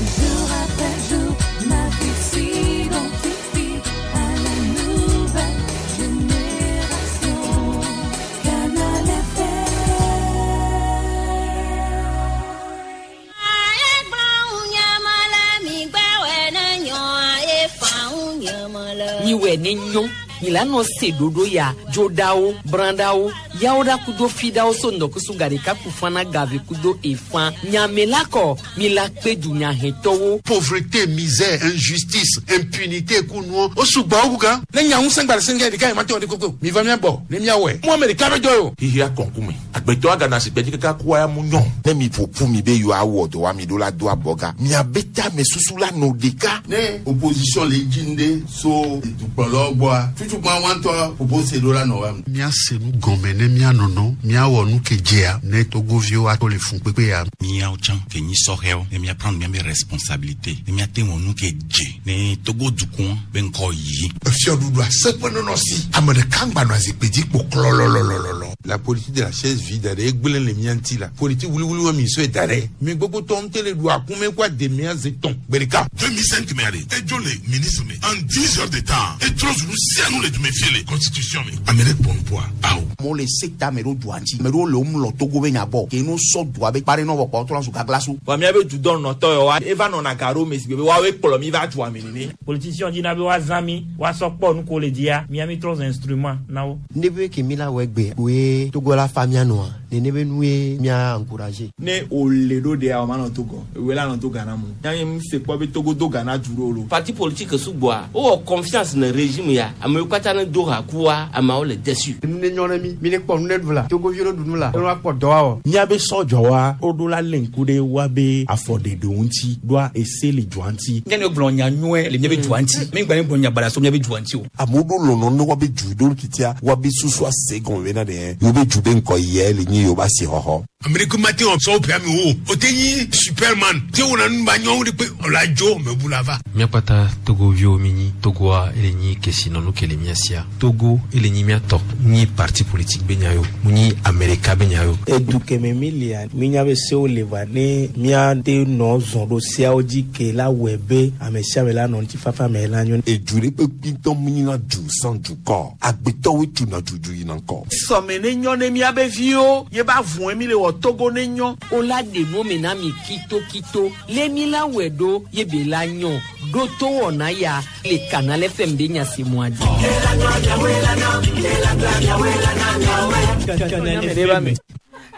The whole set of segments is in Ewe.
Jour après jour, ma vie s'identifie à la nouvelle génération. Canal FM. Miwɛ ne nyɔ milano se ɖoɖo ya dzoɖawo brãɖawo yawoɖa kudo fiɖawo so ŋdɔkusu gaɖeka kufana gave kudo efã nyamela kɔ mila kpe dunyahetɔwo. Pauvreté, misère, injustice, impunité kunuɔ o sugbɔ o gan. Ne nya ŋusẽ gba le senge ɖeka yi ma te wɔ ɖe koko mi va mia gbɔ ne mia wɔe mu ame ɖeka be dɔ ye o. Xixia kɔnkume agbetɔ agana sigbe dzi kaka kua ya mu nyɔ. Ne mi ƒo ƒu mi be yewoawɔ dɔ wa mi ɖo la do abɔga miabe tame susu la nɔ ɖeka. Ne opposition le dzi ŋɖe so dukplɔlawo gbɔa tutukpa wa ŋutɔ ƒoƒo se ɖo la nɔ wa. Míase nu gɔme ne míanɔnɔ míawɔ nu ke dzea ne togoviwo ato le fun kpekpe ya. Míawo tsã ke nyi sɔhɛwo ne míaprendre míabe responsabilité ne míate wɔ nu ke dze ne Togo dukɔa be ŋkɔ yi. Efiɔɖuɖu aseƒe nɔnɔ si ame ɖeka ŋgbanɔ zikpui dzi kpo klɔlɔlɔlɔlɔ. La politique de la chaise vide ɖe egblẽ le mía ŋuti la politique wuliwuli wa mi sɔe da ɖe mi gbogbo tɔ ŋutɔ le ɖu akume kó ademea ze tɔn gbe ɖeka. 2005 mɛ ale edzo le ministre me en 10 heures de temps etrɔ zu nu sia nu le dume fie le constitution me ame ɖe kpɔ nuƒoa awo. Amewo le se ta ame ɖewo dua ŋuti ame ɖewo le wo mlɔ Togo be nya gbɔ ke no sɔ dua be kpa ɖe nɔ vɔ kpɔ trɔ zu gaglasu. Vɔ míabe dudɔnɔtɔ yawoa eva nɔna ga ɖo me si gbe be woawoe kplɔ mi va dua me nene. Politicien dzina be woazã mi woasɔ kpɔ nu ko le dzia mía mi trɔ zu instrument na wo. Ne be ke mi la wɔ egbe koe Togo la fa mía nɔa nene be nue mía encourager. Ne wòle ɖo ɖea o manɔ Togo ewoe la nɔ to Ghana mu míabe mi se kpɔ be Togo do Ghana du ɖo lo. Parti politique sugbɔa wowɔ confiance ne régime ya amewo katã ne do ha kua ameawo le déçu. Nu ne nyɔ ne mi mi ne kpɔ nu ne ɖu la Togoviwo ne ɖu nu la ne woakpɔ dɔ awɔ. Míabe sɔdzɔwa woɖo la lé ŋku ɖe woabe afɔɖeɖewo ŋuti ɖoa ese le dua ŋuti. Míanɔ gblɔ nya nyuie le míabe dua ŋuti mi gba gblɔ nya baɖa so míabe dua ŋuti o. Amewo ɖo lɔlɔ ne woabe du ɖo titia woabe susu ase gɔme bena ɖe yewo be du be ŋkɔ yia le nyi yewo be asixɔxɔ. Amerika ma te wɔ sɔwɔ ƒe amewo o te nyi superman te wɔna nu ba nyɔnu ɖe kpe ɔla dzo mebu la va. Míakpata togoviwo mi nyi Togoa ele nyi kesinɔnu ke le mía sia. Togo ele nyi mía tɔ. Nyi parti politique be nya yo. Mu nyi Amerika be nya yo. Edu keme mi lia mínya be sewo le va ne míate nɔ zɔn ɖo seawo dzi ke la wɔe be ame sia ame la nɔ ŋutifafa me la nyo. Edu ɖe kpekpe ŋutɔ mu nyina du sans dukɔ. Agbetɔwoe tuna dudu yina ŋkɔ. Sɔme ne nyɔ ne míabe viwo ye ba vɔe mi le wɔ Togo ne nyɔ. O la ɖe nu me na mi kitokito le mi la wɔe ɖo ye be la nyɔ ɖo to wɔna ya le Canal FM be nya se mua dzi.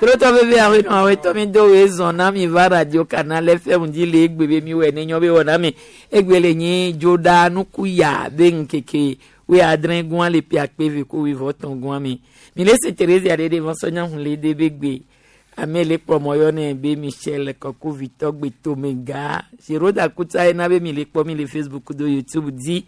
Trotɔ veve awo nɔ awo tɔ mi do wo zɔn na mi va radio Canal FM dzi le egbe be mi wɔ ne nyɔ be wɔ na mi egbe le nyi dzoɖa nuku ya be ŋkeke wo adre gɔn le pia kpe ve ko wivɔ tɔn gɔn mi mi le se Therese aɖe ɖe vɔsɔ nya hun le de be gbe ame le kpɔmɔ yɔ ne be Michel Kɔkuvitɔ gbetomega Zeroda kutsa yina be mi le kpɔ mi le Facebook do YouTube dzi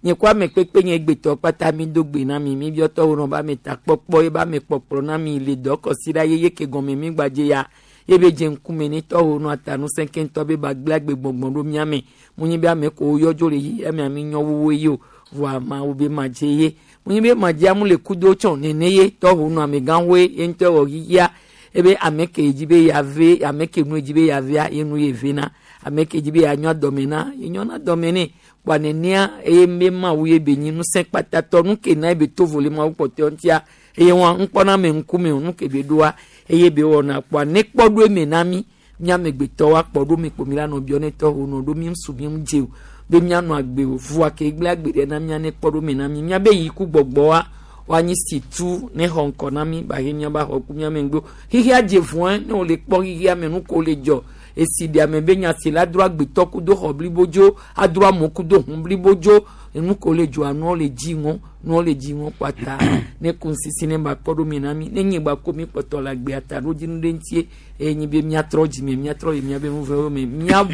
nye ko ame kpekpe nye gbetɔ kpata mi do gbe na mi mi biɔtɔwo nɔ ba me ta kpɔkpɔ ye ba me kpɔkplɔ na mi le dɔ kɔsi ɖa yeye ke gɔme mi gbadze ya ye be dze ŋkume ne tɔwo nɔ ata nusẽ keŋtɔ be ba gblẽ agbe gbɔgbɔ ɖo mía me mu nyi be ame ko yɔ dzo le yi ame ami nyɔ wuwo yi o voa mawu be ma dze ye mu nyi be ma dze amu le kudo tsɔ nene ye tɔwo nɔ amegãwoe ye ŋutɔ wɔ yia ebe ame ke dzi be yave ame ke nu dzi be yavea ye nu ye vena ame ke dzi be yanyɔ dɔme na ye nyɔna dɔme ne kpa nenea eye be mawu ye be nyi ŋusẽ kpatatɔ nu ke na ye be to vo le mawu kpɔtɔe ŋutia eye wɔn ŋkpɔna me ŋkume o nu ke be ɖoa eye be wɔna kpɔa ne kpɔ ɖo eme na mi míamegbetɔwo akpɔ ɖo mi kpo mi la nɔ biɔ ne tɔ wo nɔ ɖo mi ŋsu mi ŋu dze o be míanɔ agbe o vua ke gblẽ agbe ɖe na mía ne kpɔ ɖo me na mi míabe yi ku gbɔgbɔa woanyi si tu ne xɔ ŋkɔ na mi ba he míaba xɔ ku míame ŋgbo xixia dze vɔe ne wòle kpɔ xixia me nu ko le dzɔ esi ɖe ame be nya si la dro agbetɔ ku do xɔ blibo dzo adro amewo ku do hun blibo dzo enu ko le dzɔa nuwo le dzi ŋɔ nuwo le dzi ŋɔ kpata ne ku ŋsisi ne ba kpɔ ɖo mi na mi ne nye ba ko mi kpɔtɔ le agbea ta ɖo dzi nu ɖe ŋutie eye nyi be míatrɔ dzime míatrɔ yi míabe nuvewo me míabu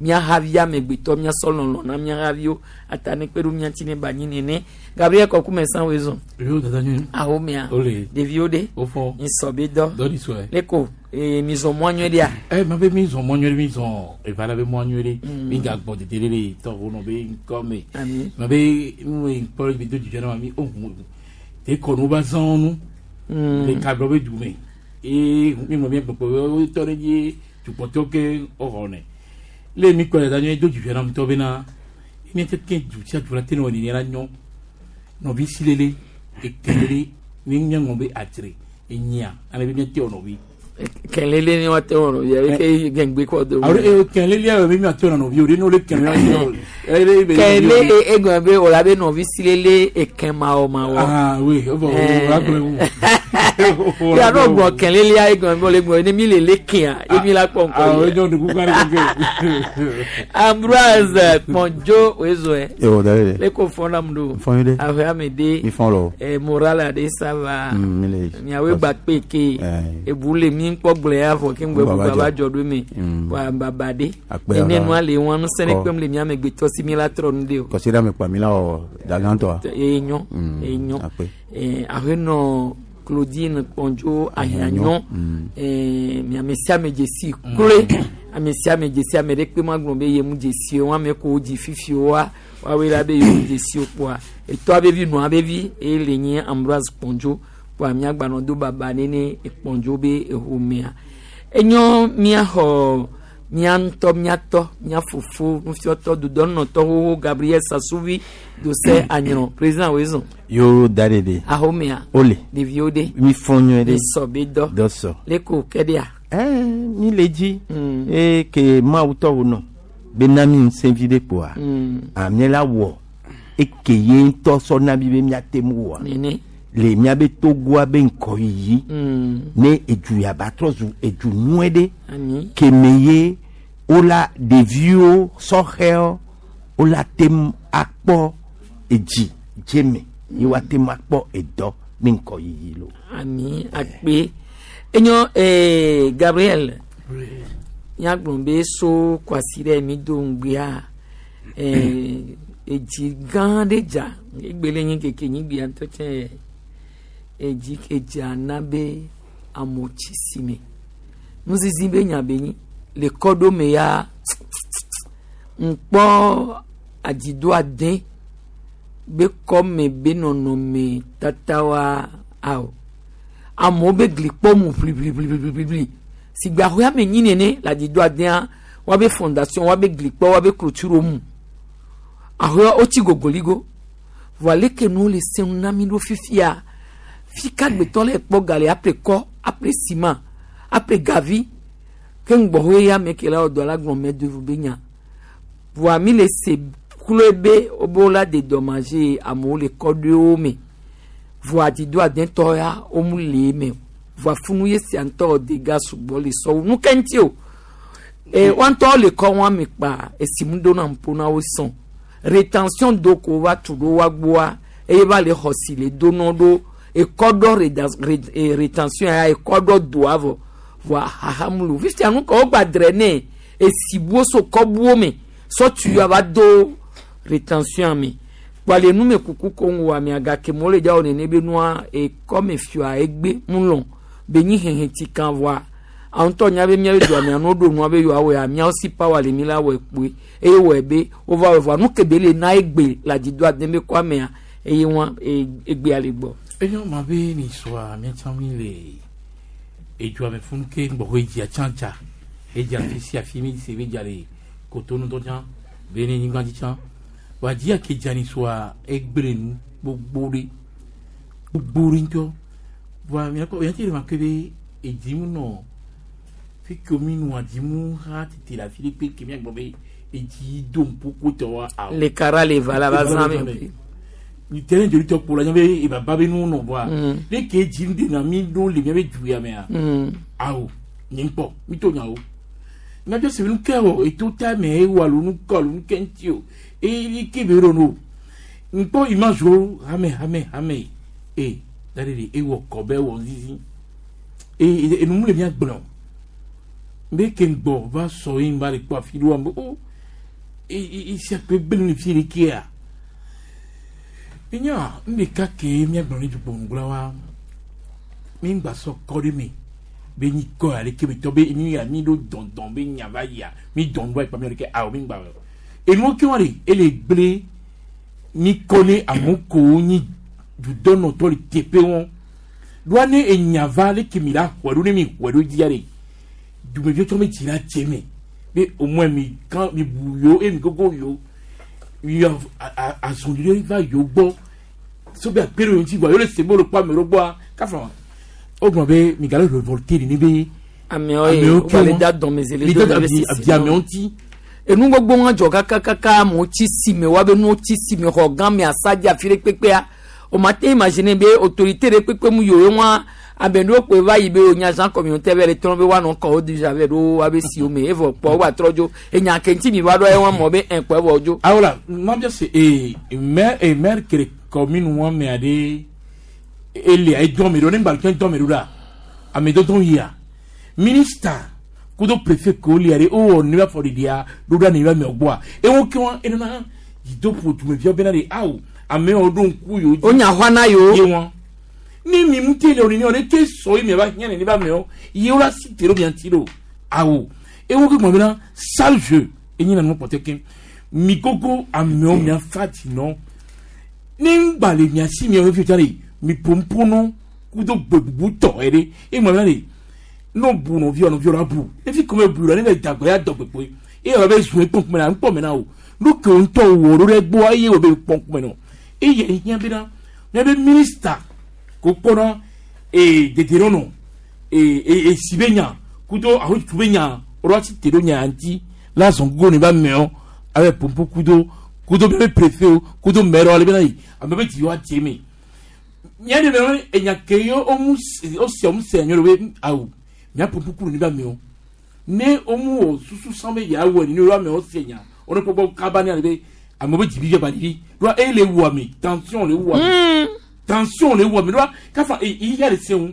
míahavi amegbetɔ míasɔ lɔlɔ na míahaviwo ata ne kpe ɖo mía ŋuti ne ba nyi nene Gabriel Kɔkume san wo zɔn. Yo dada nyui. Awo mea. Ole. Ɖeviwo ɖe. Wofɔ. Nsɔ be dɔ. Dɔ ɖi sɔe. Ne ko ee mi zɔn mɔ nyuie ɖea. Ɛ ma be mi zɔn mɔ nyuie ɖe mi zɔn eva la be mɔ nyuie ɖe. Mi ga gbɔ dede ɖe le tɔwo nɔ be ŋkɔ me. Ami. Ma be nu yi kpɔ be do dzidzɔ na ma mi o hu te kɔnu ba zɔn nu. Le kablɔ be du me. Eye mi mɔ mi gbɔgbɔ wo tɔ ɖe dzi tukpɔtɔ ke woxɔ ne. Le mi kɔ le da nyɔ do dzidzɔ na ŋutɔ bena mi te ke du sia du la te ne wɔ nene la nyɔ. Nɔvi si lele ekelele mi nye ŋɔ be adzre enyia ale be mi te wɔ nɔvi. Kɛlele ni wa te wɔ nɔvia eke gɛngbe kɔ do. Alo e kɛlele yɛ mi te wɔ nɔvi o de n'o le kɛlele Kɛlele egɔn be o la be nɔvi silele ekɛn mawɔ mawɔ. Ah oui, o bɔn o la gblɔ wu. Ya n'o gbɔ kɛlele ya egɔn be o le gbɔ ne mi le le kɛn emi la kpɔ nkɔ Ah o yi. jɔn dugu kan de ko Ambroise Kpɔndzo oezoe. Yo, d'ailleurs. Le ko fɔn nam do. Fɔn yi de. Ahɔe ame de. Mi fɔn lɔ. Moral de ça va. Mi le. Miawoe gba kpe ke. Ebu le mi kpɔ gblẽ ya vɔ ke ŋgbɛ bu Baba baba dzɔ. dzɔ ɖo me. Wa baba de. Akpe Ene ala. nua le wɔn nusẽ Kɔ. kpem le mia megbetɔ si mi la trɔ nu de o. Kɔsi ɖe ame kpa mi la wɔ dagãtɔa. Enyo. Enyo. Akpe. Ahenɔ Claudine Kpɔndzo Ahianyɔ. Mi ame sia ame dzesi kloe. Ame sia ame dzesi ame ɖe kpe ma gblɔ be ye mu dzesi o. Ame ko dzi fifi wa woawoe la be yewo dzesi o kpoa. Etɔa be vi nɔa be vi eye le nye Ambroise Kpɔndzo kpoa miagbanɔ do baba nene Kpɔndzo be exomea. Enyo miaxɔ mía ŋutɔ míatɔ mía fofo nufiɔtɔ dodɔnɔtɔ xoxo Gabriel Sasuvi Dosɛ Anyrɔ président wezɔn Yo da de de. ahomea Ole. ɖeviwo de Mi fɔn nyuie ɖe. Mi sɔ be dɔ Dɔ sɔ. leko kɛɖia Mi le dzi. Eye ke Mawu tɔ wo nɔ. Be na mi ŋusẽ vi ɖe kpoa. Amie la wɔ. Eke ye ŋutɔ sɔ na mi be miate ŋu wɔa. Nene. Le miabe Togoa be ŋgɔyiyi. Ne edu ya ba trɔ zu edu nyuie ɖe. Ami. Keme ye wola ɖeviwo sɔxɛwo wola te ŋu akpɔ edzi dze me ye woate ŋu akpɔ edɔ ne ŋgɔyiyi lo. Ami akpe enyo Gabriel míagblɔ be so kwasi ɖe mi do ŋgbea edzi gã ɖe dza egbe le nye keke nyigbea ŋutɔ tsɛ edzi ke dza na be amewo tsi si me nuzizi be nya be nyi le kɔɖome ya ŋkpɔ adzido ade be kɔme be nɔnɔme tatawa awo amewo be gli kpɔ mu ʋliʋliʋliʋliʋli si gbe ahoe ame nyi nene le adzido adea woabe fondation woabe gli kpɔ woabe clôture mu ahoe wotsi gogoligo voa leke nuwo le sẽŋu na mi ɖo fifia fika gbetɔ le kpɔ ga le aple kɔ aple ciment aple gavi ke ŋgbɔhoe ya me ke la wɔ dɔ la gblɔ mɛ devu be nya voa mi le se kloe be wobe la dédommagé amewo le kɔɖoewo me voa dzido adetɔ ya womu le eme o voa funu ye sia ŋutɔ dega sugbɔ le sɔwu nu ke ŋuti o e woa ŋutɔ le kɔ wɔn ame kpa esimu do na ŋpo na wo sɔn rétention do ko va tu ɖo wa gbɔa eye va le xɔ si le do nɔ ɖo ekɔɖɔ rétention ya ekɔɖɔ doa vɔ voa hahamulu fifia nu kɔ wogba drɛ ne esibuwo so kɔbuwo me sɔtu ya va do rétention me kpale nu me kuku ko ŋu wa mea gake mo le dza wo nene be nua ekɔme fioa egbe mu lɔn be nyi hehe ti kan voa awo ŋutɔ nya be miabe dua mea no ɖo nua be yewoa wɔe miawo si power le mi la wɔe kpoe eye wɔe be wova wɔe voa nu ke be le na egbe le adzido ade be kɔa mea eye wa egbea le gbɔ. Enyo ma be ni sɔa miatsã mi le edua me funu ke ŋgbɔxɔ edzia tsã dza edza fi sia fi mi se be dza le kotonu tɔ tsã be ne nyigba dzi tsã wa dzia ke dza ni sɔa egble nu gbogbo ɖe gbogbo ɖe ŋutɔ wa miakpɔ miatsi le ma ke be edzi mu nɔ fi ke mi nua dzi mu ha tete le afi ɖe kpe ke miagblɔ be edzi do ŋƒoƒo tɔ wa awɔ. Le kara le va la va zã me. Terrain joli tɔ kpo la nya be ebaba be nu nɔ bɔa ne ke dzi nu de na mi ɖo le mia be du ya mea awo nye ŋkpɔ mi to nya o miatsɔ se nu ke o eto ta me ewɔ alo nu kɔ alo nu ke ŋuti o eye ke be ɖo no ŋkpɔ image wo hame hame hame e da de de ewɔ kɔ bɛ wɔ zizi e enu mu le mia gblɔ be ke ŋgbɔ va sɔ ye ŋva le kpɔ afi ɖo wa o e e sia kpe gbe nu fi ɖe kea minya ŋɖeka ke miagblɔ ne dukpɔnugblɔ wa mi ŋgba sɔ kɔ ɖe me be nyi kɔ ale ke me tɔ be mi ya mi ɖo dɔndɔn be nya va yia mi dɔn ɖo ayi kpa mi ɖe ke awɔ mi ŋgba wɔ enuwo ke wa de ele gblẽ mi kɔ ne amewo ko nyi dudɔnɔtɔ le teƒe wɔn ɖoa ne enya va ale ke mi la xɔe ɖo ne mi xɔe ɖo dzia de dumeviwo tsɔ me dzi la dze me Be au moins mi kan mi bu yo e mi gogo yo. Mi azɔn ɖe va yo gbɔ. So be akpe ɖe ŋuti vɔa yo le se be wo le kpɔ ame ɖewo gbɔa kafa. Wogblɔ be mi gale révolté nene be. Amewo ye wo le da dɔmedzoe le mi do da be sisi abi amewo ŋuti. Enu gbogbo ŋa dzɔ kakakaka amewo tsi si me woabe nuwo tsi si me xɔ gã me asadzi afi ɖe kpekpea o ma te imaginer be autorité ɖe kpekpe mu yiwo ŋua ame ɖewo kpoe va yi be wonya agent communautaire be le trɔ be woanɔ kɔ wo déjà vɛ ɖo woabe siwo me evɔ kpɔ woa trɔ dzo enya ke ŋuti mi va ɖo ewa mɔ be ɛ kpɔ evɔ dzo. Awola mabia se ee maire ee maire kere commune wɔn me aɖe elia edɔn me ɖo ne ŋgba dɔn me ɖo la ame dɔdɔn yia ministre kudo préfet ko lia ɖe wowɔ ne afɔ ɖiɖia ɖo ɖa ne va miɔ gbɔa ewo ke wɔn enana dzidoƒo dumeviawo bena ɖe awo amewo ɖo ŋku yewo dzi. Wonya xɔa na yewo. Ye wɔn ne mi ŋuti le o nene o ne te sɔ ye miava hiã nene ba amewo yewo la si te ɖo mia ŋuti ɖo awo ewo ke gblɔ bena sale jeu enye na nu kpɔtɛ ke mi gogo amewo mia fa dzi nɔ ne ŋgba le mia si miawo fi tsa ɖe mi ƒoƒo kudo gbe bubu tɔ yɛ ɖe egblɔ bena ɖe n'o bu nɔviwo nɔviwo la bu efi kɔmɛ bu la ne bɛ dagbe ya dɔ gbegbe eye wòle be zun ekpɔn kume na ŋkpɔ me na o nu ke ŋutɔ wɔ ɖo ɖe gbɔ eye wòle be kpɔn kume nɔ eye hiã bena míabe minista ko kpɔna ee dedienɔnɔ ee ee esi be nya kudo ahotu be nya wɔɖo asi te ɖo nya ŋuti la zɔn gogo ne ba mɛɔ abe pompo kudo kudo míabe préfet o kudo maire ale bena yi ame be dzi wa dze me mía ɖe be enya ke ye womu wosia womu se nyɔ ɖe be awu mía pompo kudo ne ba mɛɔ ne womu wɔ susu san be yeawɔ ne wo amewo se nya wo ne kpɔkpɔ kaba ne ale be amewo be dzibi ba ɖiɖi ɖoa eye le wu ame tension le wu ame tension le wu ame ɖoa kafa eyi ya le se ŋu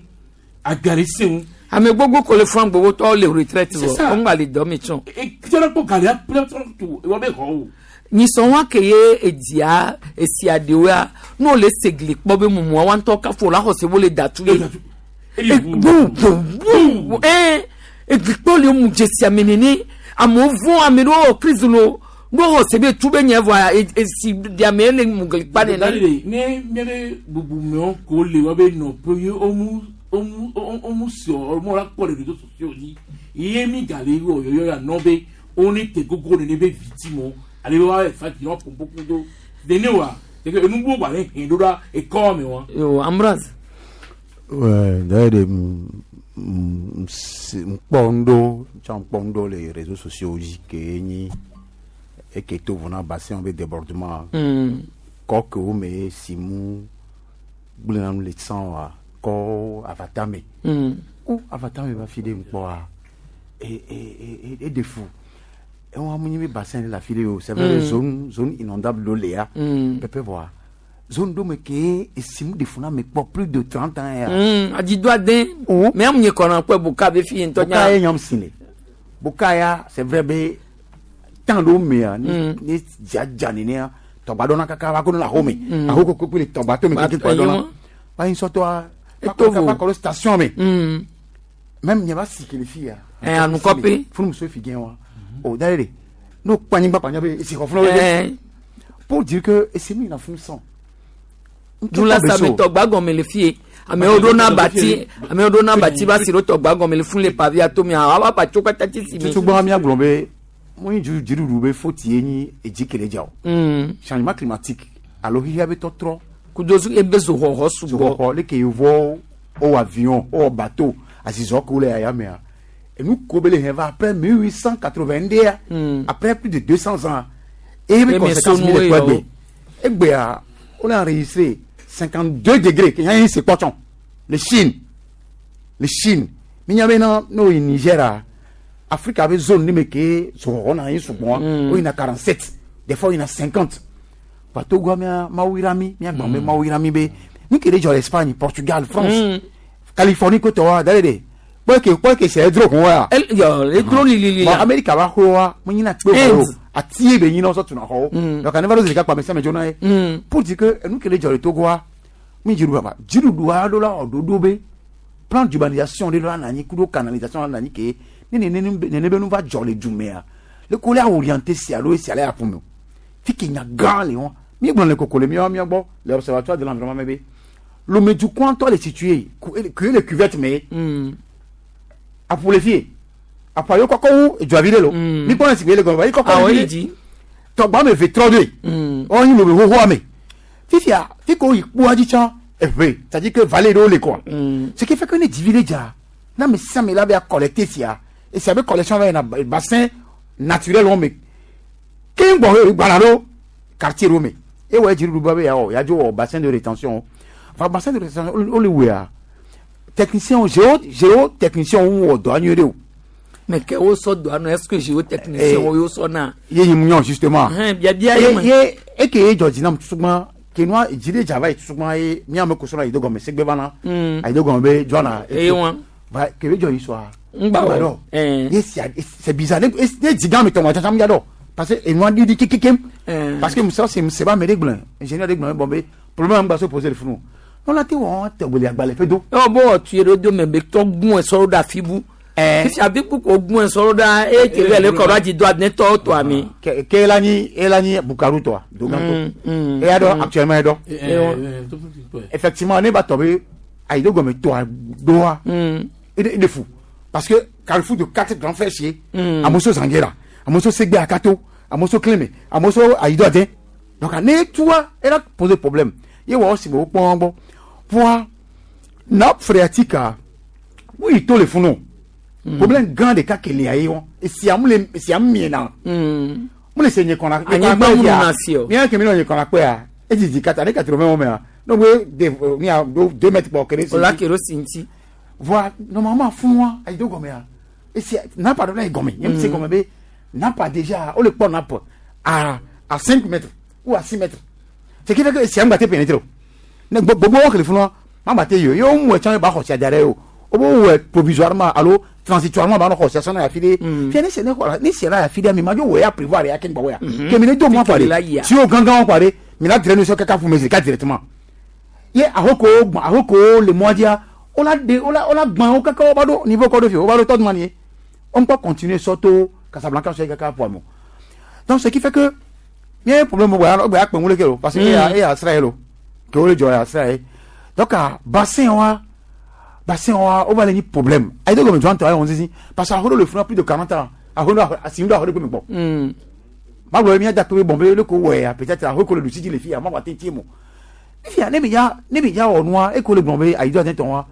agba le se ŋu. Ame gbogbo ko le fún gbogbo tɔwo le retraite C'est vɔ ça. wo ŋgba le dɔ me tsɔ. Tsɔna kpɔ gali aƒe tsɔna tu wɔ be xɔ o. Nyisɔ wa ke ye edzia esia ɖewoa ne wole se gli kpɔ be mumua wa ŋutɔ kafo la xɔse wo le datu ye. Bu bu bu ɛɛ egli kpɔ le mu dzesi ame nene amewo vɔn ame ɖewo wɔ crise lo ne wo xɔse be tu be nye vɔa esi ɖiame le mu gli kpa Dani nene. de ne míabe bubumewo ko le wa be nɔƒe ye womu womu womu se wɔmɔ la kpɔ le réseaux sociaux dzi ye mi gale wɔ yɔyɔ ya nɔ be wone te gogo nene be victime ale be wa fa dzi na ƒoƒo kudo nene wa teke enugbɔ gba ne hɛn ɖo ɖa ekɔ me wa. Yo Ambroise. Ouais, d'ailleurs, ŋkpɔ ŋɖo tsã ŋkpɔ ŋɖo le réseaux sociaux dzi ke nyi eke to vo na bassin be débordement kɔ ke wo me si mu gblẽna nu le tsã wa kɔ avata me o avata me va fi ɖe ŋkpɔa e e e e ɖe fu ewa mu nyi be bassin le afi ɖe o c'est vrai zone zone inondable ɖo le ya pɛpɛ vɔa zone ɖo me ke esi mu ɖe fu na me kpɔ plus de 30 ans ya. Adzido ade. Mɛ amu nye kɔnɔ kpɛ boka be fi ye ŋutɔ Boka ye nyɔm si le boka ya c'est vrai be temps ɖewo mea ne ne dzia dza nenea tɔgba ɖɔna kaka va ko ne le axome axo koko kple tɔgba to me Ba- keke kpa ɖɔna eyi va yi sɔtɔa Eto vo. va kɔ ɖo station me même nye va si ke le fi ya. Eh, anukɔpe. Funu muso fi gɛn wa o da de n'o kpa anyigba kpa nya be esi xɔ funu Eh. be pour dire que esi mi na funu sɔn. Dula same tɔgba gɔme le fie amewo ɖo na bati amewo ɖo na bati va si ɖo tɔgba gɔme le fun le pavi atomi awa ba tso katã tsi si me. Tutugbɔn mi agblɔ be mo nyi dziɖuɖu be faute ye nyi edzi kele dza o. Changement climatique alo xixia be tɔtrɔ. Kudo ebe zoxɔxɔ sugbɔ. Zoxɔxɔ leke yevuwo wowɔ avion wowɔ bateau azizɔ ke wole yaya mea enu ko be le hɛn va après 1882 après plus de 200 ans eye be Eme conséquence mi sonu le kpɔ ye egbe egbea wole enregistré 52 degrés ke nya ye se kpɔtsɔ le Chine le Chine mi nya bena n'o yi Niger a Afrika be zone ni me ke zoxɔxɔ na anyi sugbɔa wo yina 47 des fois wo yina 50 ba Togoa mia mawu yra mi mia gbɔn be mawu yra mi be nu ke ɖe dzɔ le Espagne Portugal France Californie ko tɔwa da ɖe kpɔ ke kpɔ ke sɛ edro kun wa. Yɔ edro lilili Bon ya. Amerika ba xɔ wa mo nyina kpe xɔ o Inde. ati ye be nyina sɔ tuna xɔ o donc ne va ɖo zi ɖeka kpa me sia me dzona ye pour dire que enu ke le dzɔ le Togoa mi dziɖuɖu baba dziɖuɖua ɖo la wɔ ɖoɖo be plan d'urbanisation ɖe la na anyi kudo canalisation la na anyi ke ne nene nene be nu va dzɔ le du mea le ko le orienté sia alo esia le aƒu me o fi ke nya gã le wɔn mi gblɔ le koko le miawo mia gbɔ le observatoire de l'environnement me be lomedukɔntɔ le situé ku le cuvette me aƒu le fie Aƒua yo kɔkɔ wu edua vi ɖe lo. Mi kpɔ ne si le gɔme yi kɔkɔ Awɔ vi yi ɖe. dzi. Tɔgba me ve trɔ ɖoe. Wɔn yi lobe xoxoa me. Fifia fi ko yi kpoa dzi tsã eve c'est-à-dire que vallée ɖewo le quoi. Ce qui fait que ne dzivi ɖe dza na ame sia ame la be collecter sia esia be collection va yina bassin naturel wɔn me keŋ gbɔ he gbana ɖo quartier ɖewo me ewɔ dziɖuɖu ba be yawɔ yadzo wɔ bassin de rétention va bassin de rétention wo le wɔa technicien géo géo technicien wo wɔ dɔa nyuie ɖe o. Mais ke wo sɔ dɔa nɔ est ce que géotechnicien wo yo sɔ na. ye yi mu nyɔ justement. Hɛn biabia ye me. ye eke ye dzɔ dzi nam tutugbã ke nua dzi ɖe dza va yi tutugbã ye míame ko sɔrɔ ayi do gɔme segbe va na ayi do gɔme be dzɔna. Eye wa. va ke be dzɔ yi sɔa. Ŋgba wɔ. dɔ. Ye sia c'est bizarre ne ne dzi gã me tɔmɔ tsatsa ya dɔ parce que enua ɖiɖi kekekem. Parce que musɔ se se ba me ɖe gblẽ ingénieur ɖe gblẽ bɔn be problème ŋgba so poser le funu. Nɔla te wɔ tɛgbeli agbalẽ ƒe do. Ɔ bɔ wɔ tu ye ɖo do me be tɔ gun esɔ ɖo ɖe afi bu. Fifia bi kpukpo gun esɔ ɖo ɖa eye ke be le kɔ ɖo adzi do adine tɔ tɔ ami. Ke ke ela nyi ela nyi Bukaru tɔa dogantɔ. Eya dɔ actuellement ye dɔ. Effectivement ne ba tɔ be ayi do gɔme tɔa doa. E de fou parce que carrefour de quatre grands frères chez Amoso Zanguera, Amoso Segbe Akato, Amoso Clémé, Amoso Ayido Adin. Donc ne toi elle a posé problème. Ye wa aussi bo pon bon. Pour nappe phréatique a oui to le funo. Problème grand de cas qu'il y a eu et si am le si am miena. Mo le se nye kona. Anyigba mu na si o. Mi a ke mi no nye kona pe a. E didi kata ne 80 me a. Donc we de mi a 2 mètres pour kere. Ola kero sinti. Voilà, normalement, fún wa, ayi do gɔmɛ ya. Et si n'a pas donné gɔmɛ, yɛn se gɔmɛ be n'a pas déjà, o le kpɔ n'a pas à 5 mètres ou à 6 mètres. Ce qui fait que si an gba te pénétrer o. Ne gbogbo wo kele fún wa, ma gba te yi o. Ye o mu ɛtsã ba xɔ sia da ɖe o. O b'o wɛ provisoirement alo transitoirement ba nɔ xɔ sia sɔnna ya fi de. Fia ne se ne xɔ la ne se la ya fi de mi ma dzo wɔ ya prévoir ya ke ŋgbɔ ya. Ke mi ne do mɔ kɔ de. Si o gángan kɔ de, mi la drainer sɔ kaka fún mi ka directement. Ye ahoko gbɔn ahoko le mɔ dia o la de o la o la gbɔn o kaka o ba do niveau kɔ do fi o ba do tɔ jumɛn ye on peut continuer surtout Casablanca sɔ kaka pour mo donc ce qui fait que mi ye problème bɔ o bɛ a kpɛ ŋule ke o parce que e y'a e y'a sira ye lo ke o le jɔ y'a sira ye donc a bassin wa bassin wa o va le ni problème ayi do gɔmɛ jɔn tɔ ayi wɔn sisi parce que a horo le funu plus de 40 ans a horo a sin do a horo ko mi gbɔ ma gblɔ mi ya da kpe bɔn be le ko wɔ ya peut-être a horo ko le du sisi le fi ya ma wa te tie mo fifia ne mi ya ne mi ya wɔ nua e ko le gblɔ be ayi do a tɛ tɔn wa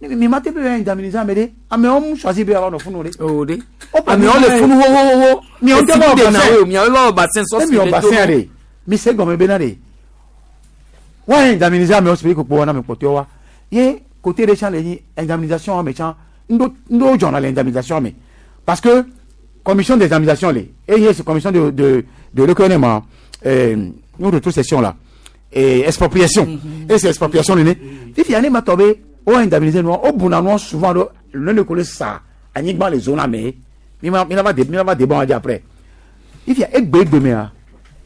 mi ma te be indemniser ame ɖe amewo mu choisir be ava nɔ funu ɖe. O de amewo le funu wowowo. Miawo tɛ bɔ bassin miawo bɔ bassin sɔsi ne miwɔ bassin ɖe mi se gɔme bena ɖe wa indemniser amewo si be kpokpo wa na ame kpɔtɔe wa ye côté ɖe tsã le nyi indemnisation ame tsã ŋɖo dzɔna le indemnisation me parce que commission d'indemnisation le eye c'est commission de de de le ma nous rétrocession là et expropriation et c'est expropriation nene fifia ne ma tɔ be o indemniser nua o buna nua souvent do le ne ko le sa anyigba le zone ame mi ma mi la va de mi la va de bon adi après ifia egbe egbe mea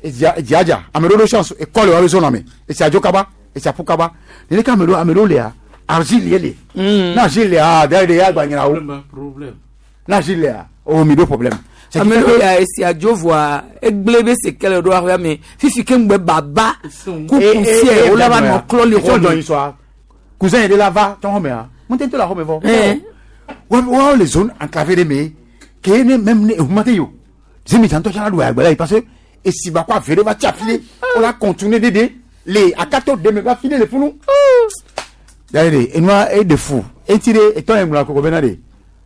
edziadza ame ɖewo ɖo chance ekɔ le wa be zone ame esi adzo kaba esi aƒu kaba nene ke ame ɖewo ame ɖewo lea argile ye le ne argile lea da ɖe ya gba nyina wo ne argile lea o mi ɖo problème. Ame ɖewo ya esi adzo voa egble be se kele ɖo aƒea me fifi ke ŋgbe baba ku poussière wo la va nɔ klɔ le xɔ me. Cousin yi de la va tɔn xɔ mea mo tɛ to la xɔ me vɔ. Wa le zone enclavée de me ke ne même ne ehuma te yi o zemi tantɔ tsana ɖu agbɛla yi parce que esi ba ko ave ɖe va tsi afi ɖe o la continuer dede le akato deme va fi ɖe le funu. Yaye de enua e de fu eti de etɔ ye ŋlɔ koko bena de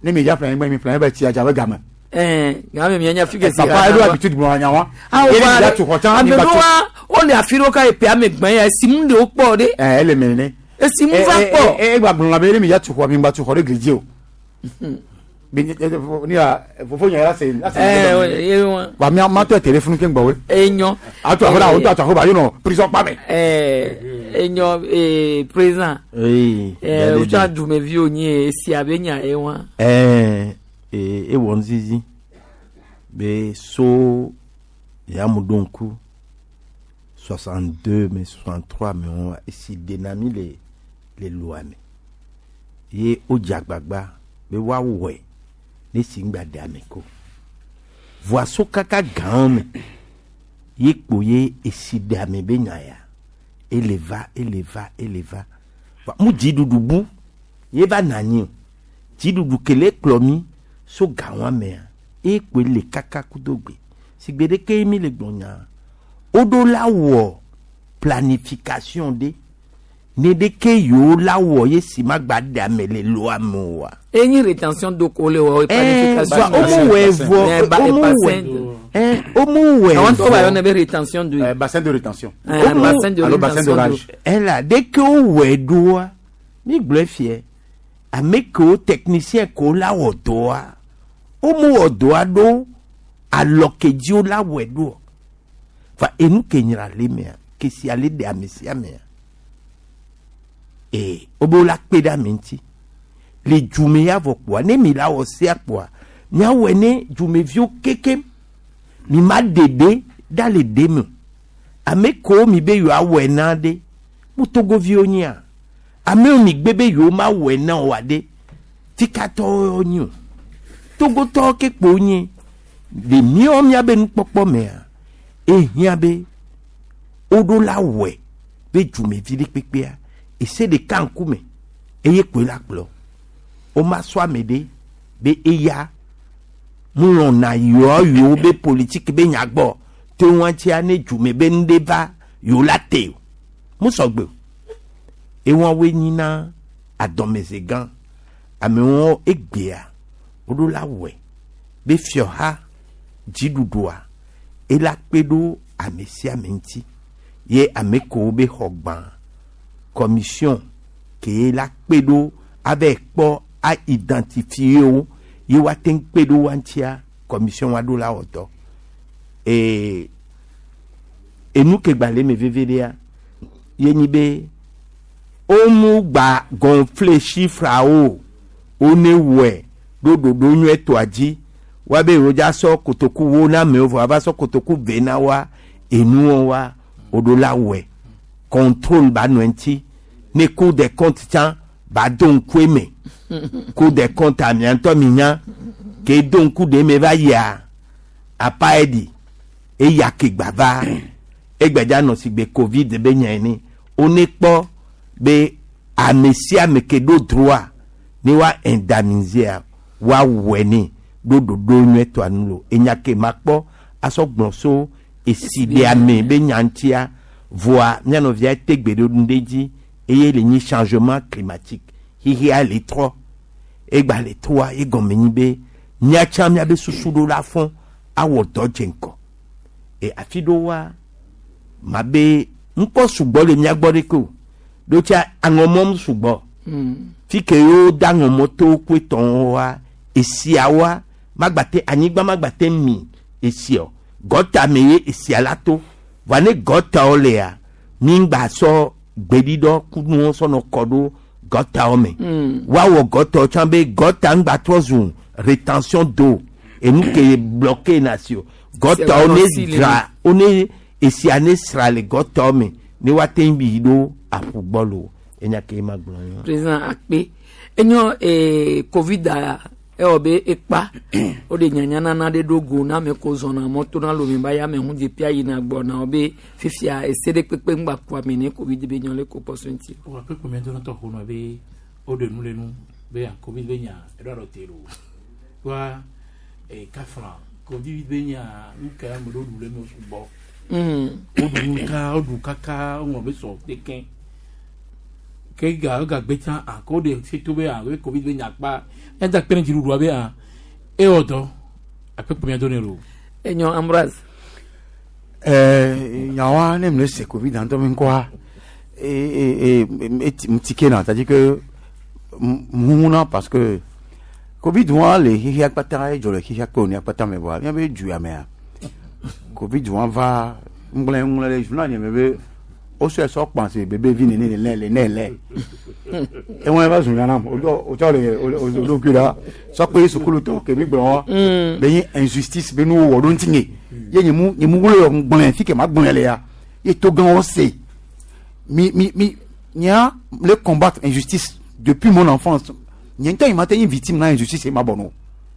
ne mi dza ƒle anyigba mi ƒle anyigba tsi adza be game. Game mi anya fi ke si. Papa eɖo habitude gblɔ anya wa. Awo Ye wa mi dza tu xɔ tsã mi ame ba tu. ɖewoa wole afi ɖewo ka epe ame gbã ya esi mu ɖewo kpɔ ɖe. Ɛɛ ele me nene. Esi mu va kpɔ. E gba gblɔ na be ne mi dza tu xɔ mi gba tu xɔ ɖe gli dzi o. Be ni ya fofo nya la se la se. Ɛɛ ye wa. Wa mi ma tɔ téléphone ke ŋgbɔ we. Enyɔ. Ato aho la o to ato aho ba yonɔ prison kpa me. Ɛɛ enyɔ ee président. Oui. Ɛɛ o tsa dumeviwo nyi esi abe nya ye wa. Ɛɛ ee ewɔ nuzizi be so ya mu ɖo ŋku 62 me 63 me wɔn esi dena mi le le loa me ye wodze agbagba be woawɔe ne si ŋgba de ame ko voa so kaka gãwo me ye kpo ye esi de ame be nya ya ele va ele va ele va va mu dziɖuɖu bu ye va na anyi o dziɖuɖu kele kplɔ mi So gawa mea ekpe le kaka kudo gbe sigbe ɖeke mi le gblɔ nya woɖo la wɔ planification ɖe ne ɖeke yewo la wɔ ye si ma gba ɖe ame le loa me oa. Enyi rétention d'eau ko le wɔ planification. Omu wɛ vɔ omu wɛ omu wɛ vɔ. Àwọn tó wà yọ ne bɛ rétention d'eau. Bassin de rétention. Bassin de rétention d'eau. Ela ɖeke wo wɛ ɖoa mi gblɔe fiɛ ame kewo technicien kewo la wɔ dɔa womu wɔ dɔa ɖo alɔ ke dzi wo la wɔe ɖo fa enu ke nyra le mea kesi ale ɖe ame sia mea ee wobe wo la kpe ɖe ame ŋuti le dzume ya vɔ kpoa ne mi la wɔ sea kpoa miawɔe ne dzumeviwo kekem mi ma ɖe ɖe ɖa le ɖe me o ame kewo mi be yewoawɔe na ɖe mu togoviwo nyia amewo mi gbe be yewo ma wɔe na oa ɖe tikatɔwo nyi o togotɔwo ke kpo nye le míawo míabe nukpɔkpɔ mea ehiã be woɖo la wɔe be dzumevi ɖe kpekpea ese ɖeka ŋkume eye kpoe la kplɔ woma sɔ ame ɖe be eya mulɔna yewoa yewo be politiki be nyagbɔ te ŋutia ne dzume be nu ɖe va yewo la te o musɔgbe o ewoawoe nyina adɔmeze gã amewo egbea woɖo la wɔe be fiɔha dziɖuɖua ela kpe ɖo ame sia ame ŋuti ye ame kewo be xɔ gbã commission ke la kpe ɖo ava kpɔ a identifier wo ye woate ŋu kpe ɖo wa ŋutia commission wa ɖo la wɔ dɔ ee enu ke gba le eme veve ɖea ye nyi be womu gba gonfle chiffreawo wone wɔe ɖo ɖoɖo nyuietɔa dzi woabe yewo dza sɔ kotoku wo na amewo vɔ ava sɔ kotoku ve na wa enuwo wa woɖo la wɔe contrôle ba nɔ eŋuti ne cour des comptes tsã ba do ŋku eme cour des comptes amia ŋutɔ mi nya ke do ŋku ɖe eme va yia apa eɖi eya ke gba va egbedza nɔ si gbe covid be nya ene wone kpɔ be ame sia ame ke ɖo droit ne wa indemniser wa wɔe ne ɖo ɖoɖo nyuietɔa nu lo enya ke ma kpɔ asɔ gblɔ so esi ɖe ame be nya ŋutia voa mía nɔvia te gbe ɖe nu ɖe dzi eye le nyi changement climatique xixia le trɔ egba le trɔa egɔme nyi be míatsã míabe susu ɖo la fɔ awɔ dɔ dze ŋkɔ e afi ɖewoa ma be ŋkɔ sugbɔ le mía gbɔ ɖeke o ɖo tsa aŋɔmɔm sugbɔ fi ke yewo da aŋɔmɔtowo koe tɔwo wa esiawoa magbate anyigba magbate mi esia o gɔta me ye esia la to vɔa ne gɔtawo lea mi ŋgba sɔ gbeɖiɖɔ kunuwo sɔnɔ kɔ ɖo gɔtawo me woawɔ gɔtawo tsã be gɔta ŋgba trɔ zu rétention d'eau enu ke bloqué na si o gɔtawo ne dzra wo ne esia ne sra le gɔtawo me ne woate ŋu yi ɖo aƒu gbɔ lo enya ke ma gblɔ yɔ. Président akpe enyo covid a ewɔ be ekpa o de nyanya nana ɖe ɖo go na ame ko zɔna mɔto na lome ba ya ame ŋu dze pia yina gbɔ na wo be fifia ese ɖe kpekpe ŋgba ku ame ne covid be nyɔ le ko kpɔ so ŋuti. O ape kpeme do na tɔ xɔnɔ be o de nu le nu be a covid be nya eɖo aɖɔ te lo wa e kafra covid be nya nu ke ame ɖewo ɖu le me sugbɔ o ɖu nu ka o ɖu kaka o ŋlɔ be sɔ te ke ga ga gbe tsã a ko de se to be a be covid be nya kpa nya kpe ne dziɖuɖua be a ewɔ dɔ ape kpeme do ne lo. Enyo Ambroise. Nyawa ne me se covid dans ton quoi et mtike na c'est-à-dire que muna parce que covid wa le hihi akpata e jole hihi akpo ni akpata me wa mi be ju ya me a covid wa va ngle ngle le journal ni me be o se so pan se bébé vi ne ne le le ne le e won ba zun na o o to le o lo ku la so pe sukulu to ke mi gbon be yin injustice be nu wo do ntinye ye nyimu nyimu wo ngbon fi ke ma gbon le ya ye to gan o se mi mi mi nya le combattre injustice depuis mon enfance nya il m'a été une victime na injustice ma bono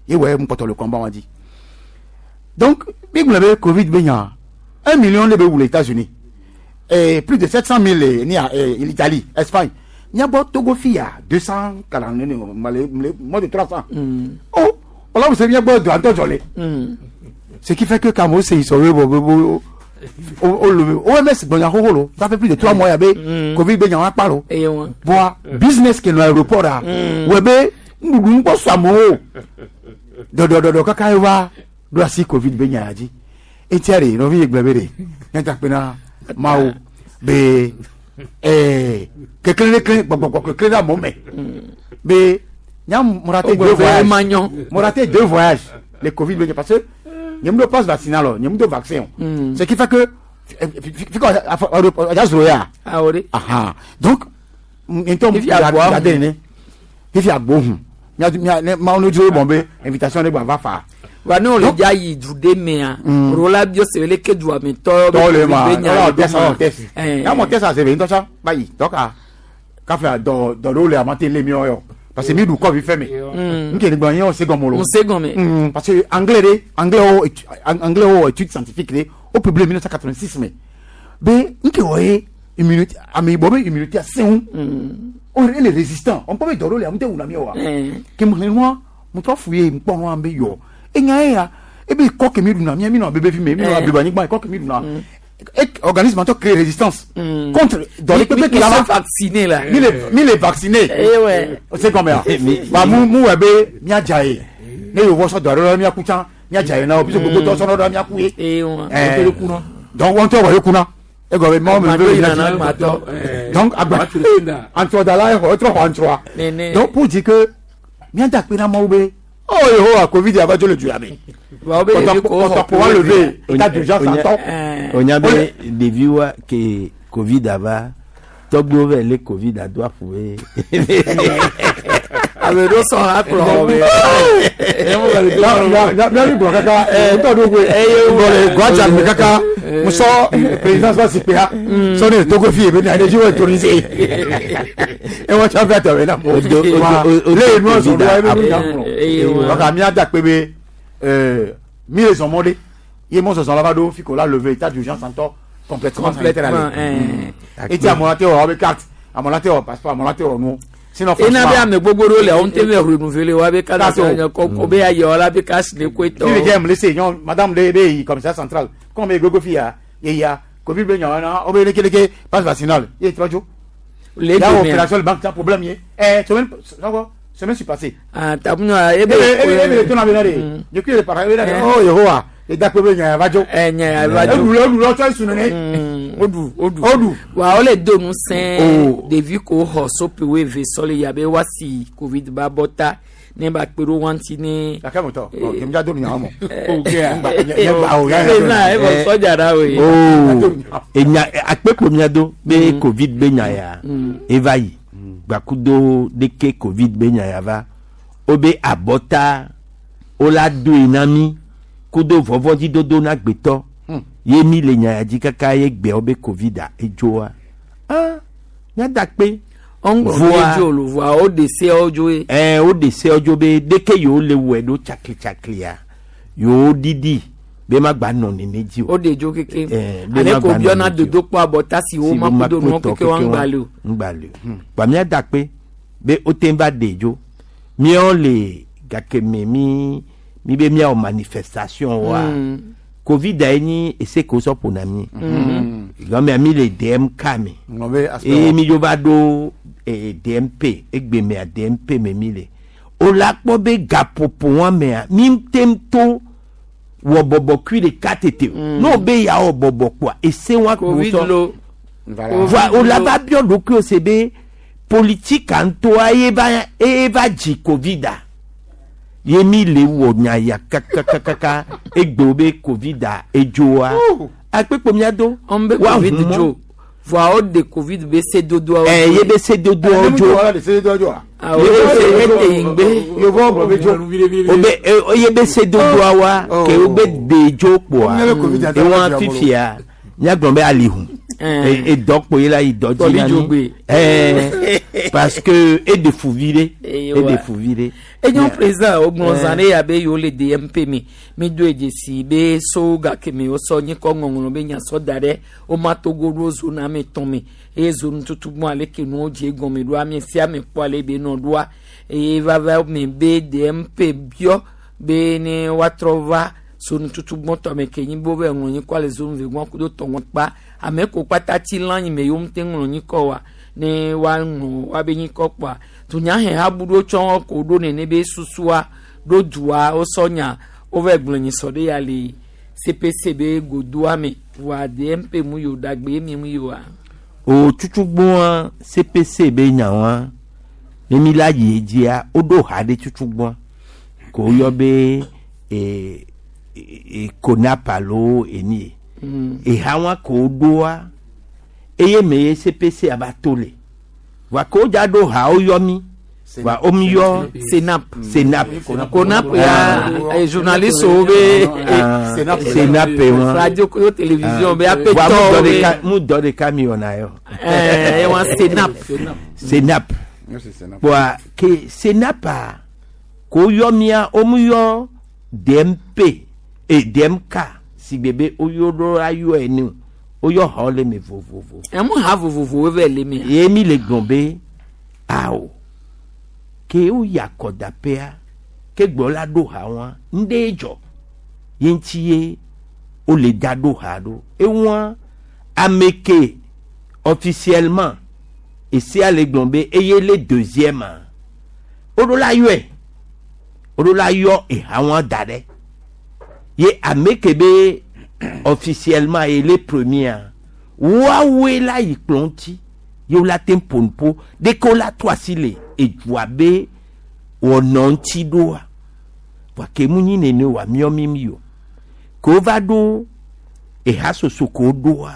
ye ouais mon le combat on dit donc mi gbon covid be nya 1 million le be ou les États-Unis et plus de 700 000 ni l'Italie, Espagne. Il y a Togo fia 240 moins de 300. Oh, Ɔlɔmu se miagbɔ do antɔ dzɔ le. Ce qui fait que quand se sɔrɔ bɔ bɔ o le OMS gbɔnya xoxo lo ça fait plus de 3 mois ya be Covid be nyawa kpa lo. Voa business ke nɔ aéroport a wɔ be nuɖuɖu ŋkpɔ sɔ amewo dɔdɔdɔdɔ kaka ye va ɖo asi Covid be nya ya dzi. Etia de nɔvi ye gblɔ be de nyata kpe na Mawu be kekle kekle gbɔgbɔgbɔ kekle ɖe amewo me be nya mo raté deux voyages mo raté deux voyages le Covid be parce que nye mu do passe vaccinal o nye mu do vaccin o ce qui fait que fi ka ɔdza zoro ya ahan donc ntɔ mu gade ne fifi agbo hun mia mia ne mawo ne dzro bɔn be invitation ne gba va fa. Wa ne wòle dza yi du ɖe mea ro la bio se le ke dua me tɔ tɔwo le ma ɔlɔ test ɔlɔ test ya mɔ test ase ve ŋutɔ tsã ba yi dɔka kafla dɔ dɔ ɖewo le amate le miɔ yɔ parce que mi ɖu kɔvi fɛ me nke ne gbɔ ye wɔ se gɔme lo se gɔme parce que anglais de anglais wo anglais wo étude scientifique de o publié 1986 me be nke wɔ ye immunité ameyibɔ be immunité asẽŋu o ele résistant on peut be dɔ ɖewo le ame te wuna mi wa ke mu xlẽ nua mu trɔ fu ye ŋkpɔ nua be yɔ enya ye ya ebe kɔ ke mi ɖuna mía mi nɔ bebe fi me mi nɔ abliba anyigba kɔ ke mi ɖuna organisme ŋutɔ crée résistance contre dɔle kpekpe ke la va vacciné la mi le mi le vacciné o se gɔme ya ba mu mu wɔ be míadza ye ne yewo sɔ dɔ aɖe la míaku tsã míadza ye na wo biso gbogbo tɔ sɔ ɖe míaku ye donc wɔn ŋutɔ wɔ ye kuna egɔme mɔ mi be yina donc agba antrɔdala ye xɔ etrɔ xɔ antrɔa donc pour dire que míada kpe na Mawu be oh Yehowa Covid ava dzo le du ya me kɔtɔkpo wa levé état d'urgence antɔ. onya be ɖevi wa ke Covid ava tɔgbuiwo vɛ lé Covid ado aƒu be. Ame ɖewo sɔ ha kplɔ xɔ me. Miavi gblɔ kaka ŋutɔ ɖo koe gblɔ le guadza me kaka musɔ présidence va zikpui ha sɔ ne Togo fi ye be na ne dzi wɔ autorisé ewɔ tsɔ fɛ tɔ be na mo le nua zɔ ɖo ebe nu nya kplɔ donc mía da kpe be mi le zɔn mɔ ɖe ye mɔ zɔzɔn la va ɖo fi ko la levé état d'urgence ŋutɔ complètement complètement. Eti amewo la te wɔ wobe carte amewo la te wɔ passeport amewo la te wɔ nuwo sinon ena be ame gbogbo ɖewo le wo ŋutɔ be renouveler wa be carte kɔ be ayɔ la be carte ne koe tɔ. Fi mi dze mlese nyɔ madame ɖe be yi commissariat central kɔn be gogo fi ya ye ya Covid be nyɔ na wo be leke leke passe vaccinal ye trɔ dzo. Le ya opération le banque sans problème ye semaine semaine suis passée. Ah tabunya ebe ebe ebe to na be na de je kui le para ebe na de oh Yehowa edakpe be nya ya va dzo. Nya ya va dzo. Eɖu le eɖu le tsɔ esu nene. Oɖu oɖu oɖu. Wa wole do nu sẽ ɖevi ko xɔ sope wo eve sɔ le ya be woasi Covid ba bɔ ta ne ba kpe ɖo wɔn ne. Gake mɔtɔ ɔ jɛnja do nu nya mɔ. Ena ebɔ sɔdza ɖa o ye. Enya akpekpo mia do be Covid be nya ya eva yi gbakudo ɖeke Covid be nya ya va wo be abɔta wo la doe na mi kudo vɔvɔdzidodo na gbetɔ ye mi le nya ya dzi kaka ye gbeawo be Covid a edzoa ah miada kpe. Voa voa wo de seawo dzo ye. Ɛɛ wo de seawo dzo be ɖeke yewo le wɔe ɖo tsakli tsaklia yewo ɖiɖi be ma gba nɔ nene dzi o. O de dzo keke ale ko biɔna dodo kpɔ abɔta si wo ma kudo nuwo keke wa ŋgba le o. Ŋgba le o gba miada kpe be wo te va de dzo míawo le gake me mi mi be míawɔ manifestation wa Covid ye nyi ese ko sɔ ƒona mi gɔmea mi le DMK me eye mi dzo va ɖo DMP egbe mea DMP me mi le o la kpɔ be gaƒoƒo wa mea mi te to wɔ bɔbɔ kui ɖeka tete o n'o be ya wɔ bɔbɔ kpoa ese wa kpo sɔ voa o la va biɔ ɖokuiwo se be politique ŋutɔa ye va eye va dzi Covid a ye mi le wɔ nya ya kakakakaka egbe be Covid a edzoa akpekpe mia do ɔn be Covid dzo voa o de Covid be se dodoawo. Ɛ ye be se dodoawo dzo awɔ ete yi ŋgbe. O be ye be se dodoawoa ke o be de dzo kpoa ewa fifia míagblɔ be alihu edɔ kpo ye la yi dɔ dzi na mi parce que eɖe fu vi ɖe eɖe fu vi ɖe. Enyo président wogblɔ zã ɖe ya be yewo le DMP me mi do dzesi be so gake me wosɔ nyikɔ ŋɔŋlɔ be nya sɔ da ɖe woma Togo ɖo zone ame tɔn me eye zone tutu gbɔn ale ke nuwo dze gɔme ɖo ame sia ame kpɔ ale be nɔ ɖoa eye vava me be DMP biɔ. Be ne woatrɔ va so nututu gbɔtɔ me ke nyi be wove ŋlɔ nyikɔ le zone ve gbɔn kudo tɔ gbɔn kpa ame ko kpata tsi lã nyi me yewo ŋute ŋlɔ nyikɔ wa ne woaŋlɔ woabe nyikɔ kpɔa dunyaheha bu ɖo tsɔ ko ɖo nene be susua ɖo dua wosɔ nya wove gblɔ nyisɔ ɖe ya le CPC be godoa me voa DMP mu yo ɖagbe mi mu yoa. O tutugbɔa CPC be nyawa ne mi la yi edzia woɖo ha ɖe tutugbɔa ko woyɔ be e, e, e, konap alo eni ye. Eha wa ko woɖoa eye me ye CPC ava to le voa ko wodza ɖo ha woyɔ mi voa womi yɔ Senap. Senap. Konap ya journaliste wo be Ah, Senap wa. Radio ko télévision be Voa mu apetɔ dɔ be ɖeka mu dɔ ɖeka mi wɔna yɔ. Eh, wa Senap. Senap. Merci, Senap. Voa ke Senapa ko yɔ mia womu yɔ DMP e DMK si gbe be woyɔ ɖo la yɔ ene o woyɔ xɔ le me vovovo. Emu ha vovovowo vɛ le mea. Ye mi le gblɔ be ao ke woyi akɔdaƒea ke gblɔ la ɖo ha wa ŋɖe dzɔ ye ŋuti ye wole da ɖo ha ɖo ewa ame ke officiellement esia le gblɔ be eye le deuxième woɖo la yɔe woɖo la yɔ eha wa da ɖe ye ame ke be officiellement ye le premier woawoe la yi kplɔ ŋuti ye wola te ƒo nuƒo ɖeke wola to asi le edua be wɔnɔ ŋuti ɖoa voa ke mu nyi nene oa míɔ mi mi o ke wova ɖo eha soso ke woɖoa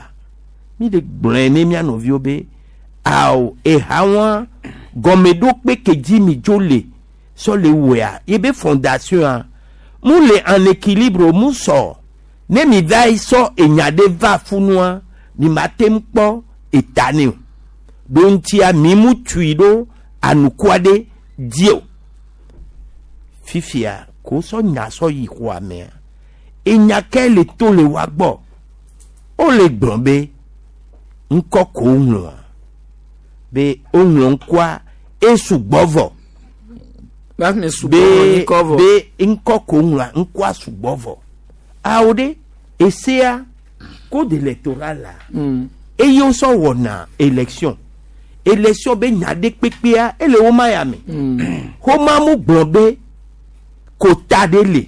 mi le gblɔe ne mía nɔviwo be ao eha wa gɔmeɖokpe ke dzi mi dzo le sɔ le wɔa ye be fondation a mu le en équilibre mu sɔ ne mi va yi sɔ enya ɖe va funua mi ma te ŋu kpɔ eta ne o ɖo ŋutia mi mu tui ɖo anukua ɖe dzi o fifia ko sɔ nya sɔ yi xɔa mea enya ke le to le wa gbɔ wole gblɔ be ŋkɔ ko woŋlɔa be woŋlɔ ŋkɔa esugbɔ vɔ sugbɔ ŋkɔ vɔ. be ŋkɔ ko woŋlɔa ŋkɔa sugbɔ vɔ awo ɖe esea code électoral la eye wosɔ wɔna élection élection be nya ɖe kpekpea ele woma ya me woma mu gblɔ be kota ɖe le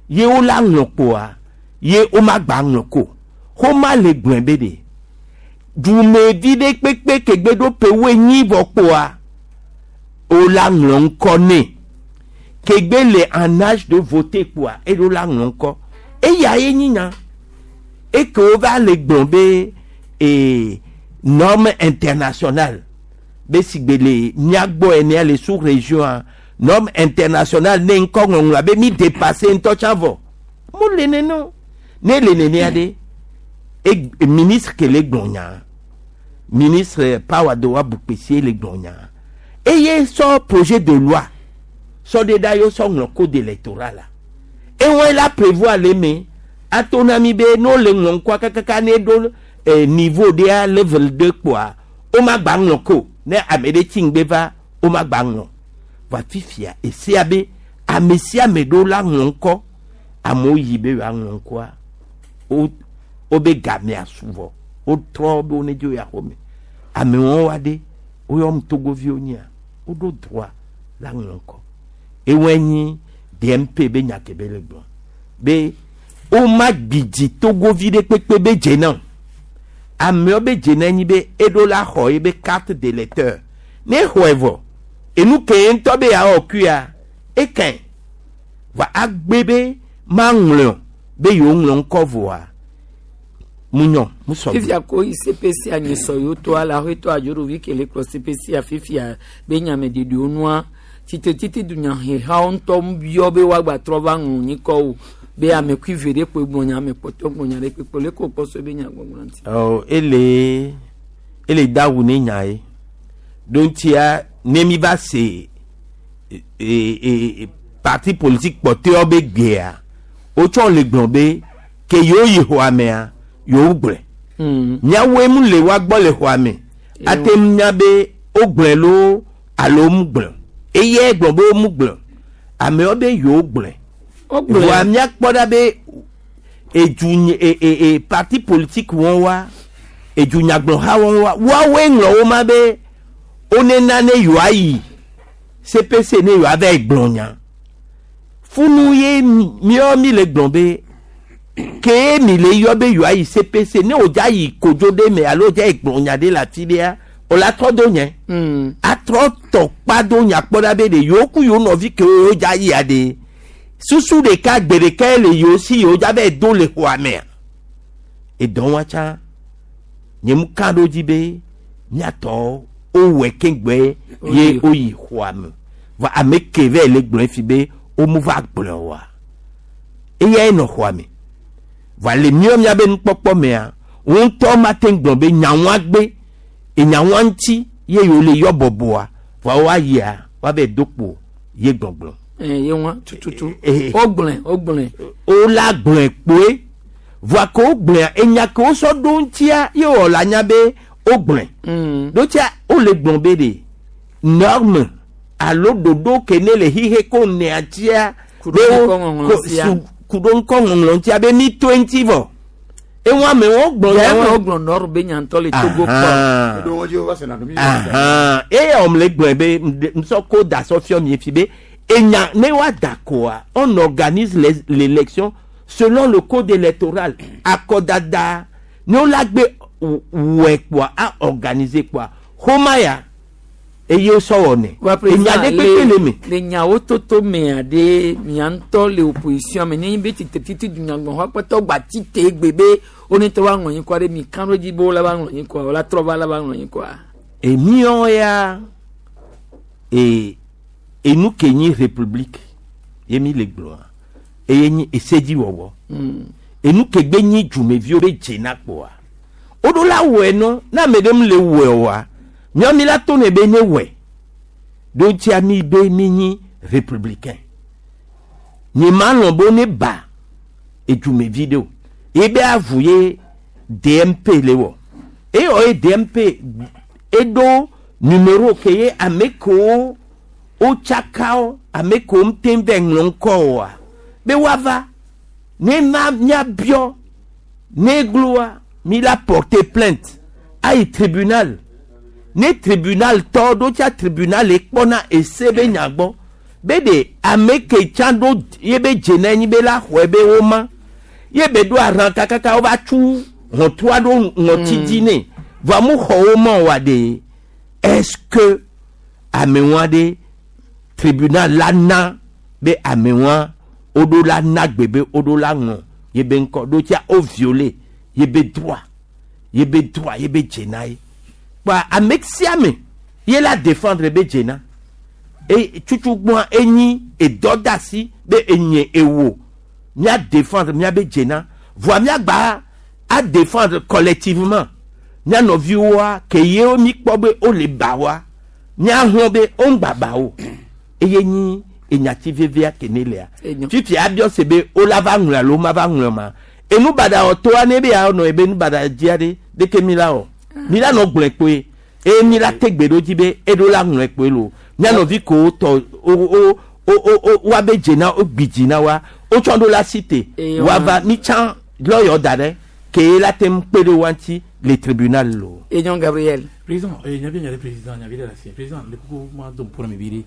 ye wola ŋlɔ kpoa ye woma gba ŋlɔ ko woma le gblɔe be ɖe dumevi ɖe kpekpe kegbe ɖo pewoe nyi vɔ kpoa wola ŋlɔ ŋkɔ nɛ kegbe le en âge de voter kpoa eɖo la ŋlɔ ŋkɔ eya ye nyi nya eke wova le gblɔ be ee norme internationale be sigbe le míagbɔ enea le sous région a norme internationale ne ŋkɔ ŋɔŋlɔa be mi dépassé ŋutɔ tsã vɔ mo le nene o ne le nenea ɖe e ministre ke le gblɔ nya ministre Pawadowa Boukpessi le gblɔ nya eye sɔ projet de loi sɔ ɖe ɖa ye sɔ ŋlɔ code électoral la ewɔe la prévoir le me ato na mi be n'o le ŋlɔ ŋkɔa kakaka ne ɖo niveau ɖea level 2 kpoa woma gba ŋlɔ ko ne ame ɖe tsi ŋgbe va woma gba ŋlɔ va fifia esia be ame sia ame ɖo la ŋlɔ ŋkɔ amewo yi be yewoaŋlɔ ŋkɔa wo wobe gamea su vɔ wotrɔ be wo ne dzo ya xɔme amewo wa ɖe woyɔm togoviwo nyia woɖo droit la ŋlɔ ŋkɔ ewɔe nyi DMP be nya ke be le gblɔ be woma gbidzi togovi ɖe kpekpe be dze na o amewo be dze na nyi be eɖo la xɔ ye be carte d'électeur ne xɔe vɔ enu ke ye ŋutɔ be yeawɔ kuia ekɛn va agbe be maŋlɔ be yewo ŋlɔ ŋkɔ vɔa mu nyɔ mu sɔ fifia ko yi CPC anyisɔ yewo to ala aƒetɔ adzoɖovi ke le kplɔ CPC fifia be nyameɖeɖewo nua tsitretiti dunyahehawo ŋutɔ biɔ be woagbatrɔ va ŋlɔ nyikɔ o be ame kui ve ɖe kpoe gblɔ nya ame kpɔtɔ gblɔ nya ɖe kpekpe le ko kpɔ so be nya gbɔgblɔ ŋuti. Ɔ ele ele dawu ne nya ye ɖo ŋutia ne mi va se e e e parti politique kpɔtɔewo be gbea wotsɔ le gblɔ be ke yewo yi xɔa mea yewo gblɔe míawoe mu le wa gbɔ le xɔa me ate ŋu nya be wogblɔe loo alo mu gblɔe eye gblɔ be womu gblɔe amewo be yewo gblɔe Wogblɔe. Vɔa míakpɔ ɖa be edu e e e parti politique wɔn wa edunyagblɔha wɔn wa woawoe ŋlɔ wo ma be wonena ne yewoayi CPC ne yewoava yi gblɔ nya. Funu ye míawo mi le gblɔ be ke mi le yɔ be yewoayi CPC ne wòdza yi kodzo ɖe me alo wòdza yi gblɔ nya ɖe le afi ɖea wòle atrɔ do nye. Atrɔ tɔ kpa do nya kpɔ ɖa be ɖe yewo ku yewo nɔvi kewo yewodza yia ɖe susu ɖeka gbe ɖeka ye le yewo si yewodza va yi do le xɔa mea. Edɔ wa tsã nye mu ka ɖo dzi be míatɔ wowɔe keŋgbe ye woyi xɔa me. Vɔ ame ke vɛ le gblɔe fi be womu va gblɔe oa, eyae nɔ xɔa me. Vɔa le míawo míabe nukpɔkpɔ mea, wo ŋutɔ mate ŋu gblɔ be nyawoa gbe, enyawoa ŋuti ye yewo le yɔ bɔbɔa, vɔa woayia woava do kpo ye gbɔgblɔ. Eh, ye ŋua tututu. Wogblɔe, wogblɔe. Wola gblɔe kpoe. Vɔa ke wogblɔea, enya ke wosɔ ɖo ŋutia ye wɔ la nya be wogblɔe. Ɖo tsia wole gblɔ be ɖe norme alo ɖoɖo ke ne le xixe ko nea tsia Ku ɖo be wo- ŋkɔ ŋɔŋlɔ ko- sia. su- ku ɖo ŋkɔ ŋɔŋlɔ ŋutia be mi toe ŋuti vɔ. Eŋu amewo gblɔ Ɖe nya eme wa- wogblɔ nɔr be nya ŋutɔ le Togo kpɔ. Ahan. Ahan. Eye wɔm le gblɔe be ŋsɔ ko da sɔ fiɔ mi fi be enya ne wa da koa on organise les l'élection selon le code électoral akɔdada ne wola gbe wɔe kpoa a organiser kpoa xoma ya eye wosɔ wɔnɛ Wa enya président ɖe kpekpe le me. le nyawo toto mea ɖe mia ŋutɔ le opposition me nenye be titretiti dunyagbɔxɔ kpɔtɔ gba tite gbe be wo ne tɔ va ŋlɔ nyikɔa ɖe mi kan ɖo dzi be wola va ŋlɔ nyikɔa wola trɔ va la va ŋlɔ nyikɔa. Emiɔ ya e enu ke nyi république ye mi le gblɔa eye nyi esedziwɔwɔ. Enu ke gbe nyi dzumeviwo be dzena kpoa woɖo la wɔe nɔ ne ame ɖe mu le wɔe oa míawo mi la to ne be ne wɔe ɖo ŋutia mi be mi nyi républicain nye ma lɔ̃ be ne ba edzumevi ɖe o ye be avu ye DMP le wɔ eye wɔ ye DMP eɖo numéro ke ye ame kewo wotsaka ame kewo ŋute vɛ ŋlɔ ŋkɔ oa be woava ne ma míabiɔ ne gloa mi la porter plainte ayi tribunal ne tribunal tɔ ɖo tsa tribunal ekpɔna ese be nya gbɔ be ɖe ame ke tsã ɖo ye be dze na enyi be la xɔe be woma ye be ɖo arã kakaka wova tsu ʋɔtrua ɖo ŋɔti dzi nɛ vɔa mu xɔ wo ma oa ɖe est-ce que amewoa ɖe tribunal la na be amewoa woɖo la na gbe be woɖo la ŋlɔ ye be ŋkɔ ɖo tsa wo violer ye be droit ye be droit ye be dzena ye kpa ame sia ame ye la défendre be dzena e tsutsugbɔa enyi edɔ da asi be enye ewo mía défendre mía be dzena vɔa míagba a défendre collectivement mía nɔviwoa ke yewo mi kpɔ be wole ba wa míahlɔ̃ be woŋgba ba o eye nyi enyati vevia ke ne lea fifia abiɔ se be wola va ŋlɔ alo ma va ŋlɔ ma enu baɖa wɔ toa ne be ya nɔ ebe nu baɖa dzia ɖe ɖeke mi la wɔ mi la nɔ gblɔe kpoe eye mi la te gbe ɖo dzi be eɖo la ŋlɔe kpoe lo mía nɔvi kowo tɔ wo wo wo wo wo woabe dzena wo gbi dzi na wa wotsɔ ɖo la si te Eye woava mi tsã lɔyɔ da ɖe ke la te ŋu kpe ɖe wa ŋuti le tribunal lo. Enyo Gabriel. Président, nyabi nya ɖe président nyabi ɖe le asi. Président, le kuku ma do ŋku na mi vi ɖe.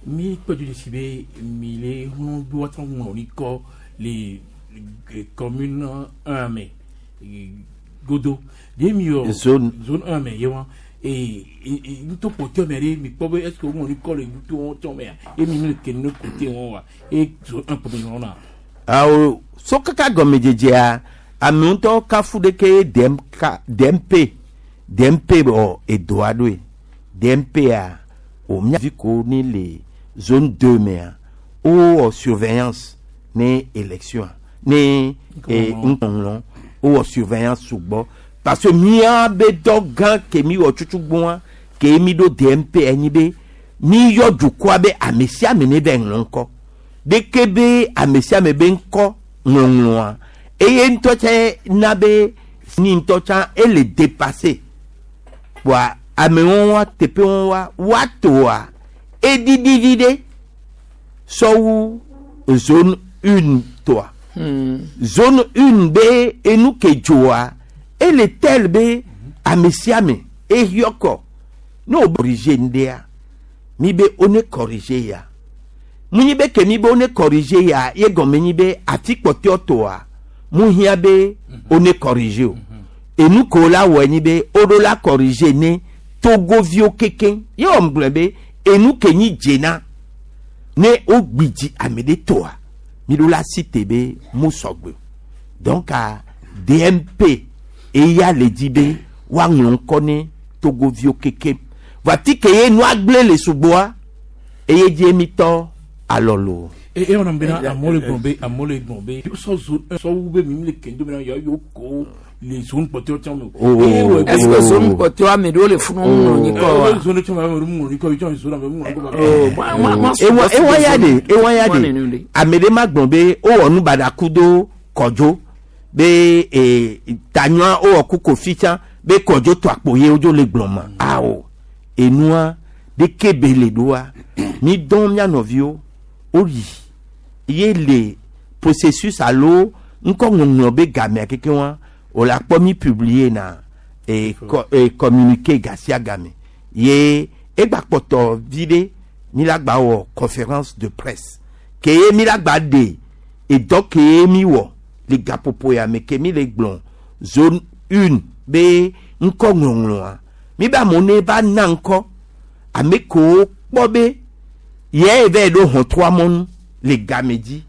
Mi kpɔ dzi si be mi le hlɔ̃ do woatrɔ ŋlɔ nyikɔ le le commune 1 me godo. Ɖe mi wɔ Zone. zone 1 me ye wa. Et nuto kpɔtɔ me ɖe mi kpɔ be est ce que woŋlɔ nyikɔ le nuto wɔtɔ mea ye mi mi le ke ne côté wɔn wa et zone 1 kpɔ mi ŋlɔ na. Awo so kaka gɔmedzedzea ame ŋutɔ kafu ɖeke ye DMK DMP DMP wɔ edoa ɖoe DMP-a o mía vi ko ni le zone 2 mea wowɔ surveillance ne élection ne ŋkɔŋlɔ wowɔ surveillance sugbɔ parce que mía be dɔ gã ke mi wɔ tsutsugbɔa ke mi ɖo DMP enyi be mi yɔ dukɔa be ame sia ame ne be ŋlɔ ŋkɔ ɖeke be ame sia ame be ŋkɔ ŋlɔŋlɔa eye ŋutɔ tse na be ni ŋutɔ tsã ele dépassé kpoa amewo wa teƒewo wa woatoa eɖiɖi vi ɖe sɔwu zone 1 tɔa. Zone 1 be enu ke dzoa ele tel be ame sia ame ehiɔ kɔ ne wo corriger ŋɖea mi be wo ne corriger ya mu nyi be ke mi be wo ne corriger ya ye gɔme nyi be afi kpɔtɔe tɔa mu hiã be wo ne corriger o enu ke wo la wɔe nyi be wo ɖo la corriger ne togoviwo kekeŋ ye wɔm gblɔe be enu ke nyi dzena ne wo gbidzi ame ɖe tɔa mi ɖo la si te be mu sɔgbe o donc a DMP eya le dzi be woaŋlɔ ŋkɔ ne togoviwo kekeŋ vɔ atike ye nua gblẽ le sugbɔa eye dzie mi tɔ alɔ lo. E e wɔna bena amewo le gblɔ be amewo le gblɔ be sɔ zone 1 sɔ wu be mi le kendo bena yewo yewo ko le zone kpɔtɔewo tsã me o. Oh. Eye wɔ Est-ce que zone kpɔtɔewo ame ɖewo le funu ŋlɔ nyikɔ wa? Oh, zone tsã me ame ɖewo ŋlɔ nyikɔ yi tsã zone ame ŋlɔ nyikɔ. Oh, moi, moi, moi, ewa ewa ya de ewa ya Moi, de nene. ame ɖe ma gblɔ be wowɔ nu baɖa ku do kɔdzo be ee tanyɔa wowɔ ku kofi tsã be kɔdzo tɔ akpo ye wodzo le gblɔ ma awo enua ɖeke be le ɖoa mi dɔn mía nɔviwo woyi ye le processus alo ŋkɔ ŋɔŋlɔ be gamea keke wa wòle akpɔ mi publier na e, co, e, communiqué gasia game ye egba kpɔtɔ vi ɖe mi la gba wɔ conférence de presse ke ye mi la gba ɖe edɔ ke ye mi wɔ le gaƒoƒo ya me ke mi le gblɔ zone une be ŋkɔ ŋlɔŋlɔa mi be amewo ne va na ŋkɔ ame kewo kpɔ be ye va yi ɖo hɔntrɔa mɔnu le game dzi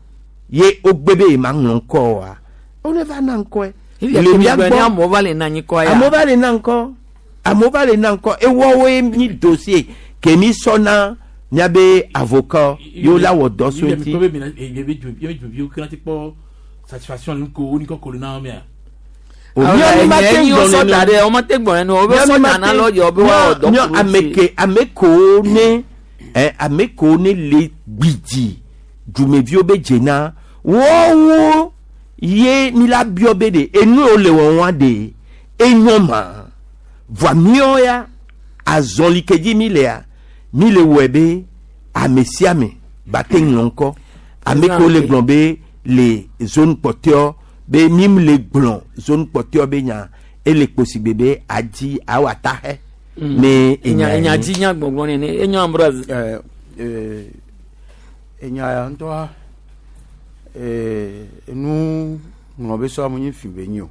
ye wogbe be yema ŋlɔ ŋkɔ oa wone va na ŋkɔe Le mia gbɔ amewo va le na nyikɔ ya. Amewo va le na ŋkɔ amewo va le na ŋkɔ ewɔwoe nyi dossier ke mi sɔ na miabe avocat yewo la wɔ dɔ so ŋuti. Mi be mina mi be dzo mi be dzoviwo kena ti kpɔ satisfaction nu ko wo nyikɔ ko le na mea. Míawo ma te Nye gblɔ sɔ nene. da ɖe wo ma te gblɔ nene o be sɔ da na lɔ yɔ be woawɔ dɔ Míawo ku ɖo ame ŋuti. ke ame kewo ne ɛ ame kewo ne le gbidzi dumeviwo be dzena wɔwo ye mi la biɔ be de enu yiwo le wɔwɔa de enyo ma voa míawo ya azɔli ke dzi mi lea mi le wɔe be ame sia ame ba te ŋlɔ ŋkɔ ame kewo le gblɔ be le zone kpɔtɔewo be mi le gblɔ zone kpɔtɔewo be nya ele kposigbe be adi awɔ ataxɛ ne Enya enya enya ye. dzi nya gbɔgbɔ nene enyo Ambroise. Enya ya ŋutɔa enu ŋlɔ be sɔ amu nyi fi be nyi o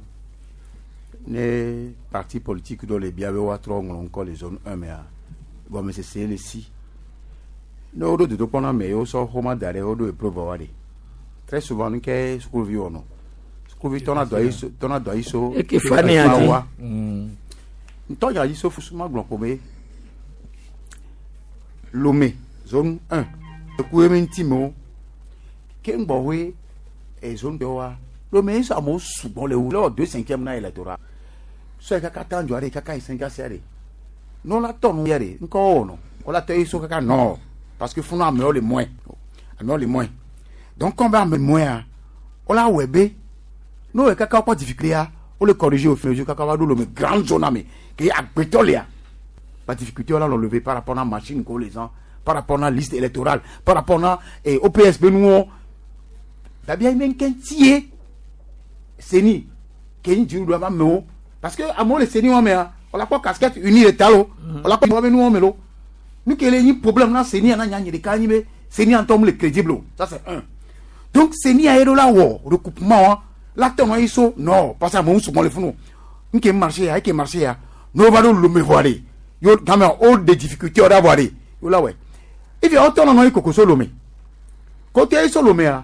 ne parti politique dɔ le bia be woatrɔ ŋlɔ ŋkɔ le zone 1 mea gɔmesese le si ne woɖo dodokpɔ na ame ye wosɔ xɔma da ɖe woɖo épreuve wa ɖe très souvent nu ke sukuvi wɔnɔ sukuvi tɔna dɔ ayi so tɔna dɔ ayi so Eke fa ne ya dzi. wa ŋutɔ dza dzi so fusu ma gblɔ ko be Lomé zone 1 eku ye mi ŋuti mewo ke ŋgbɔwoe e zone 2 wa Lomé ye sɔ amewo sugbɔ le wu le wɔ deux cinquième na électorat sɔ yi kaka tan dzɔ ɖe kaka yi cinq sia ɖe ne wola tɔ nu ya ɖe ŋkɔ wɔnɔ wola tɔ ye so kaka nord parce que funu amewo le moins amewo le moins donc comme be ame moins a wola wɔe be ne wòye kaka wokpɔ difficulté ya wole corriger au fur et à mesure kaka va ɖo Lomé grande zone ame ke agbetɔ lea la difficulté wala relever par rapport à machine ko les gens par rapport à liste électorale par rapport à eh, OPSB nuwo dabia yi ŋkɛ tie CENI ke nyi dziɖuɖu ava amewo parce que amewo le CENI wɔn mea wòle akpɔ casquette unie le ta lo wòle akpɔ wɔn be nuwɔn me lo nu ke le nyi problème na CENI na nya nyi ɖeka nyi be CENI ŋutɔ mu le crédible o ça c'est un donc CENI ya ye ɖo la wɔ recoupement wa la tɔ nɔ yi so non parce que amewo sugbɔ le funu nke marché ya eke marché ya n'o va ɖo Lomé vɔa de yo game o de difficulté o da vɔa de yo la wɛ ifi awo tɔ nɔ yi kokoso Lomé kote yi so Lomé ya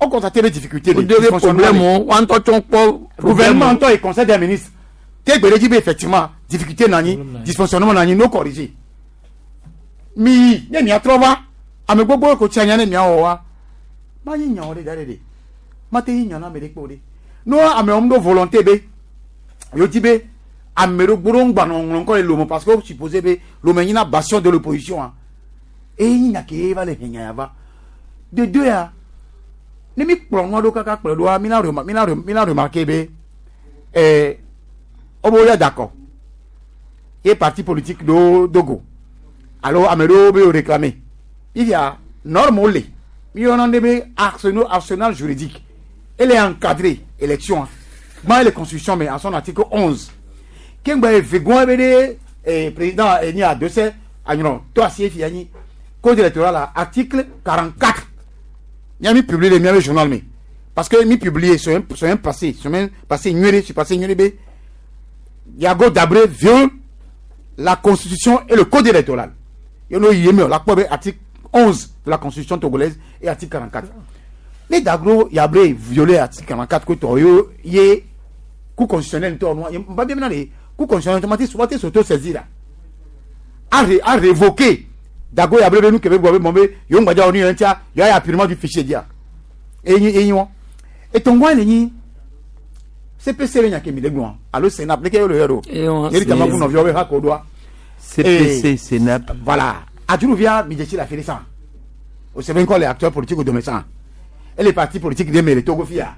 o constaté des difficultés O de be problème o wa ŋutɔ tsɔ kpɔ gouvernement ŋutɔ yi conseil des ministres te gbe ɖe dzi be effectivement difficulté nɔ anyi dysfonctionnement nɔ anyi no corriger mi yi ne miatrɔ va ame gbogbo ko tsi anya ne miawɔ wa ma nyi nyawo ɖe da ɖe ɖe ma te nyi nya na ame ɖe kpe o ɖe no amewo ɖo volonté be yewo di be ame ɖe gbo ɖo ŋgba nɔ ŋlɔ ŋkɔ le Lome parce que wo supposé be Lome nyina bastion de l'opposition a eye nyi nya ke ye va le he nya ya va de deux ya ne mi kplɔ nua ɖo kaka kplɔ ɖoa mi la rema mi la rem mi la remarqué be ɛɛ wobe woya d'accord ye parti politique ɖewo do go alo ame ɖewo be wo réclamer ifia norme wo le Mi yɔna ɖe be arsenal arsenal juridique. Elle est encadrée élection. Gbã ele constitution me en son article 11. Ke ŋgbɛ eve gɔn ebe ɖe président eni adose anyrɔ to asi efi anyi code électoral la article 44. Mia mi publier le miabe journal me. Parce que mi publier semaine passée, semaine passée nyuie suis passé nyuie be Yago Dabré viole la constitution et le code électoral. Yo no yeme la kpɔ be article 11 de la constitution togolaise et article 44. Ne Dagro Yabré violé article 44 ko tɔ yo ye cour constitutionnelle tɔ no ba bien na le cour constitutionnelle automatique soit s'auto saisir là. A révoqué Dago Yabré be nu kebe gbɔ be mɔ be yo ŋgbadza wo ni yɛn tia yo ya purement du fichier dia. Eyin eyin wɔn. Etɔngwa le nyi CPC le nya ke mi le gblɔ alo Sénat leke yo le yɔ do. Yeri tama kun nɔviawo be ha ko doa. CPC, Sénat. Voilà. Adjouruvia mi la fait ça. O sɛbɛn kɔ les acteurs politiques de ça. Et les partis politiques de le Togo fia.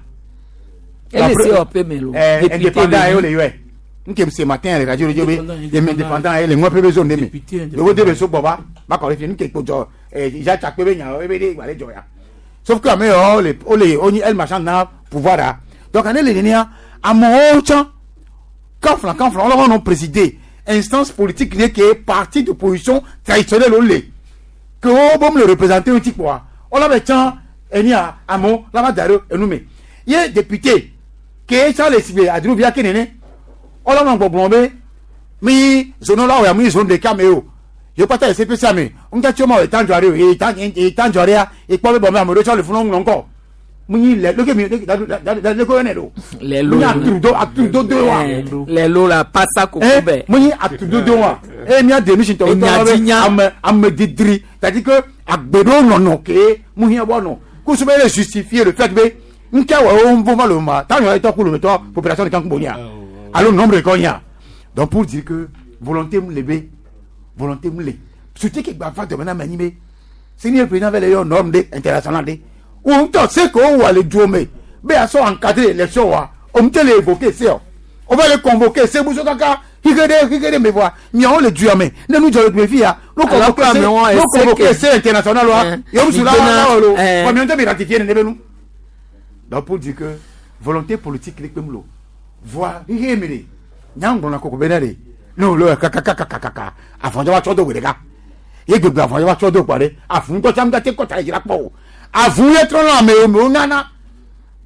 Ele COP me lo. Indépendant yo le yɛ. Nke ce matin les radios radio be indépendant le ŋɔ pe be zone de me. Le de be so gbɔ ba ba kɔ le fi nke ko jɔ ja tsakpe be nya ebe de gba le jɔ ya. Sauf que ame yɔ le o le o ni el marchand na pouvoir la. Donc ane le nenia amewo tsã kanflan kanflan wɔlɔ wɔnɔ présider instance politique de ke parti d'opposition traditionnel o le ke wo bom le représenter ŋuti kpoa wɔlɔ bɛ tsã enia amewo la va da ɖe enu me ye député ke tsã le sigbe adruvia ke nene wɔlɔ nɔ gbɔgblɔ be mi zone la wɔ ya mi zone ɖeka me o ye kpata le CPC me ŋutɔ ma etan dzɔ ɖe o etan etan dzɔ ɖea ekpɔ be bɔn be ame ɖewo tsɔ le funu ŋlɔ ŋkɔ mu nyi lɛ leke mi leke da da leke yɔnɛ do Lɛ lo. mu nyi atudo atudodo wa Lɛ lo la pasa koko bɛ. mu nyi atudodo wa eye mía démission tɔ Enya be dzinya. ame ame didri c'est à dire que agbeɖewo nɔnɔ ke mu hiã bɔ nɔ kusu be le justifier le fait be ŋkɛ wɔ wo ŋvo va le ma tan yɔ etɔ ku le metɔ population de kan kun bonya alo nombre de kɔ donc pour dire que volonté mu le be volonté mu le surtout ke gba va dɔmɛ na mɛ nyi be seni président vɛ le yɔ norme de international de wo ŋutɔ se ko wɔ le duo me be asɔ encadrer élection wa o ŋutɔ le évoquer se o o va le convoquer se muso kaka hike de hike de me voa miawo le dua me ne nu jɔ le tun fi ya no Alors que convoquer se amewo no ese convoquer ke- se international wa yomusu la mi la wɔ lo dona, bon miawo ŋutɔ mi ratifier ne be nu donc pour dire que volonté politique le kpem lo voa hihe mi de nyaŋgblɔna koko be ne de ne wo le kakakakakaka afɔdzɔ va tsɔ do gbe ɖeka ye gbegbe afɔdzɔ va tsɔ do kpɔ ɖe afu ŋutɔ tsam gate kɔta yi dzra kpɔ o avu ye trɔ nɔ ame wo nana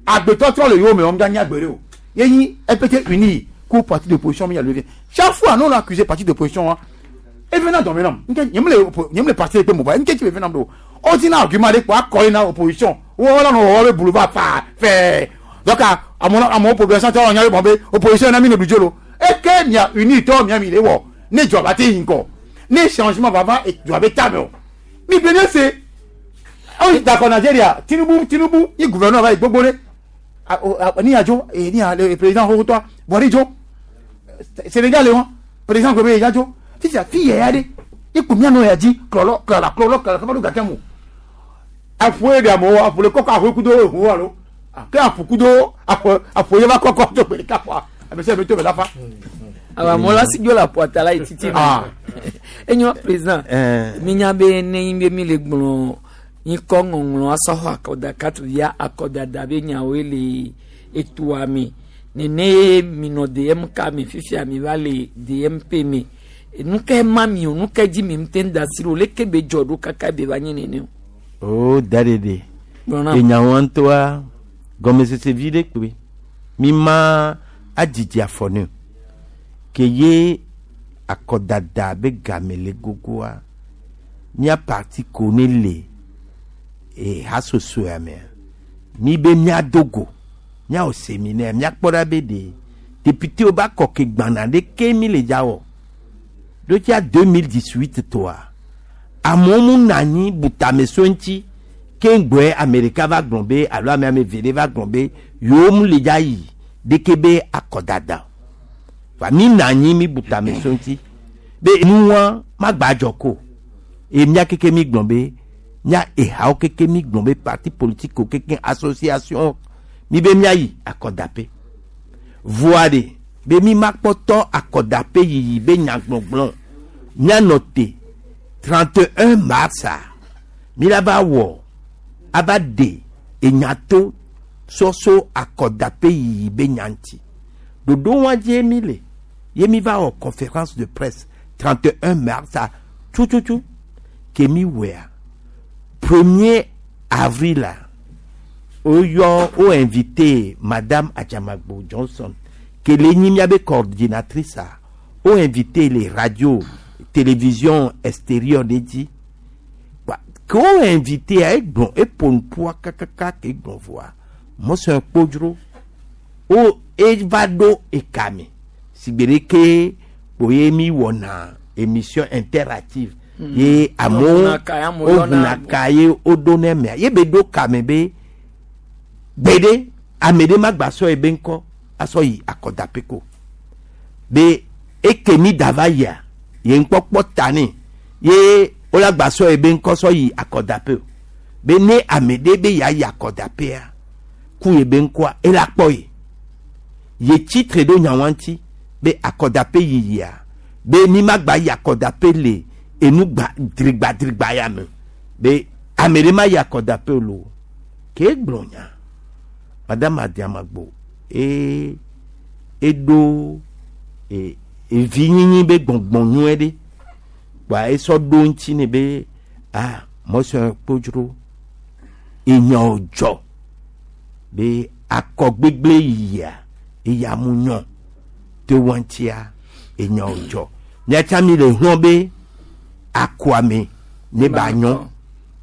agbetɔ trɔ le yewo me wɔm nya gbe ɖe o ye nyi EPT uni ko parti d'opposition mi ya levé chaque fois nous on a accusé parti d'opposition wa evena dɔn mi nam nke nyem le nyem le parti ekpe mo ba nke tsi evena do o ti na argument de kpɔ akɔ yi na opposition wo la nɔ wɔwɔ be boulevard fa fɛɛ donc amewo amewo population tɔ nya be bɔn be opposition na mi ne du dzo lo eke mia uni tɔ mia mi le wɔ ne dzɔ ba te yi ŋgɔ ne changement va va dzɔ be ta me o mi gbe ne se awo d'accord Nigeria Tinubu Tinubu yi gouverneur va yi gbogbo ɖe ni adzo ni a le président xoxotɔ Buhari dzo Sénégal le wɔn président gbe be ya dzo fifia fi yɛ ya ɖe ikpu mianɔ ya dzi klɔlɔ klɔla klɔlɔ klɔla kaba ɖo gake mu aƒu ye ɖe amewo aƒu le kɔkɔ aƒu kudo ehu alo ke aƒu kudo aƒu aƒu ye va kɔkɔ tso gbe ɖeka ƒoa ame sia ame to be la fa. Awa amewo la si dzo le aƒua la yi titi Ah. Enyo président. Mi nya be ne nyi be mi le gblɔ nyikɔ ŋɔŋlɔ asɔ xɔ akɔdaka via akɔdada be nyawoe le etoa me nene ye mi nɔ DMK me fifia mi va le DMP me nu ke ma mi o nu ke dzi mi ŋute da si ɖo leke be dzɔ ɖo kaka be va nyi nene o. O da ɖeɖe. Gblɔ nam. Enyawo ŋutɔa gɔmesese vi ɖe kpe mi ma adzidzi afɔ ne o ke ye akɔdada be game le gogoa mía parti ko ne le e hasosoa mea mi be míado go míawɔ séminaire míakpɔ ɖa be ɖe député wo ba kɔ ke gbana ɖe ke mi le dza wɔ ɖo tsia 2018 tɔa amewo mu nɔ anyi butameso ŋuti ke ŋgbɔe ame ɖeka va gblɔ be alo ame ame eve ɖe va gblɔ be yewo mu le dza yi ɖeke be akɔdada o va mi nɔ anyi mi butameso ŋuti be nuwa magba dzɔ ko eye mía keke mi gblɔ be mía ehawo keke mi gblɔ be parti politique wo keke association mi be mía yi akɔdaƒe voa ɖe be mi ma kpɔtɔ akɔdaƒe yiyi be nyagbɔgblɔ míanɔ te 31 mars a mi la va wɔ ava ɖe enyato sɔso akɔdaƒe yiyi be nya ŋuti. Ɖoɖo wa dzie mi le ye mi va wɔ conférence de presse 31 mars a tututu ke mi wɔa 1er avril a woyɔ wo invité madame Adjamagbo Johnson ke le nyi miabe coordinatrice a wo invité le radio télévision extérieure ɖe dzi Kpa ke wo invité a egblɔ eƒo nuƒoa kakaka ke egblɔ vɔa mɔsɔn kpodzro wo eva ɖo ekame sigbe ɖe ke kpo ye mi wɔna émission interactive ye amewo Woʋuna ka ye amewo yɔna woʋuna ka ye woɖo ne mea ye be ɖo kame be gbeɖe ame ɖe ma gba sɔ ye be ŋkɔ asɔ yi akɔdaƒe ko be eke mi da va yia ye ŋkpɔkpɔ ta nɛ ye wola gba sɔ ye be ŋkɔ sɔ yi akɔdaƒe o be ne ame ɖe be yeayi akɔdaƒea ku ye be ŋkɔa ela kpɔ ye ye tsitre ɖo nyawa ŋuti be akɔdaƒe yiyia be mi ma gba yi akɔdaƒe le enu gba drigbadrigba ya me be ame ɖe ma yi akɔdaƒe o lo ke gblɔ nya madame Adiamagbo e eɖo e evinyinyi be gbɔngbɔn nyuie ɖe kpa esɔ ɖo ŋuti ne be ah mɔsɔn kpodzro enyawo dzɔ be akɔ gbegble yiyia eya mu nyɔ te wɔntia enyawo dzɔ miatsa mi le hlɔn be akɔame ne ba nyɔ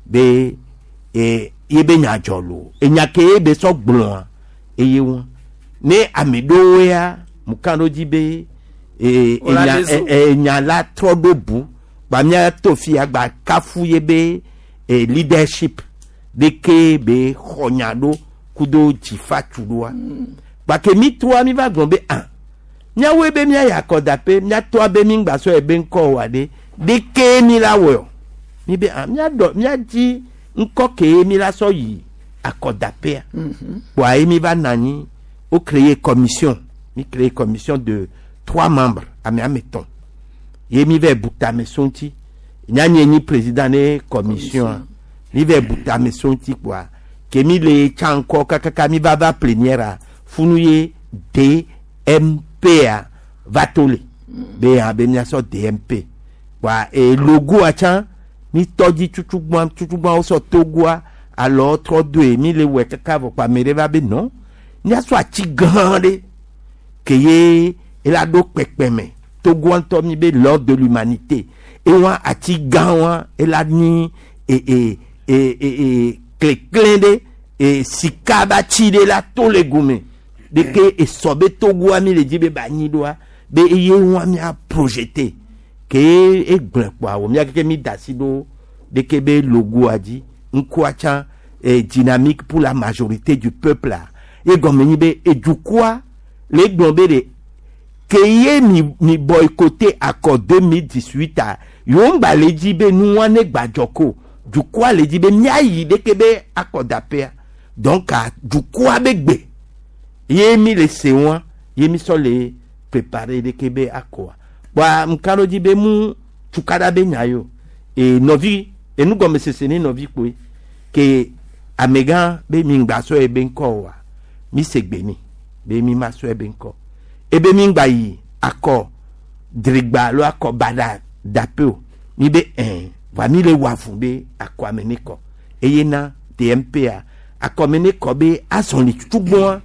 be e ye be nya dzɔ lo enya ke ye be sɔ gblɔa eye wɔn ne ame ɖewo ya mu kan ɖo dzi be e Wola enya ɖe zo. e enya la trɔ ɖo bu gba mía to fia gba kafu ye be e leadership ɖeke be xɔ nya ɖo kudo dzifa tu ɖoa gbake mi toa mi va gblɔ be ah míawoe be míayi akɔdaƒe míatoa be mi ŋgba sɔ ye be ŋkɔ oa ɖe ɖeke mi la wɔe o mi be ah míaɖɔ míadzi ŋkɔ ke mi la sɔ yi akɔdaƒea kpoa ye mi va nɔ anyi wo créer commission mi créer commission de trois membres ame ame etɔ̃ ye mi va bu tame so ŋuti nyanye nyi président ne commission a mi va bu tame so ŋuti kpoa ke mi le tsa ŋkɔ kakaka mi va va plénière a funu ye DMP a va to le be hã be miasɔ DMP kpoa e logoa tsã mi tɔ dzi tutugbã tutugbã wosɔ togoa alɔ trɔ doe mi le wɔe kaka vɔ kpoa ame ɖe va be non miasɔ ati gã ɖe ke ye ela ɖo kpekpeme togoa ŋutɔ mi be l'ordre de l'humanité ewa ati gã wa ela nyi e e e e e klekle ɖe e sika ba tsi ɖe la to le gome ɖeke esɔ be togoa mi le dzi be ba nyi ɖoa be eye wa mia projeté ke egblẽ kpoa wò mia keke mi da asi ɖo ɖeke be logoa dzi ŋkua tsã e dynamique pour la majorité du peuple a ye gɔme nyi be edukɔa le gblɔ be ɖe ke ye mi mi boycotté accord 2018 a yewo ŋgba le dzi be nua ne gbadzɔ ko dukɔa le dzi be miayi ɖeke be akɔdaƒea donc a dukɔa be gbe ye mi le se wa ye mi sɔ le préparer ɖeke be akɔa kpoa ŋka ɖo dzi be mu tukaɖa be nya yo e nɔvi enugɔmesese ne nɔvi kpoe ke amegã be mi ŋgba sɔ ye be ŋkɔ oa mi se gbe ni be mi ma sɔ ye be ŋkɔ ebe mi ŋgba yi akɔ drigba alo akɔ baɖa daƒe o mi be ɛn va mi le wɔ avu be akɔ ame ne kɔ eye na DMP a akɔ me ne kɔ be azɔli tutugbɔa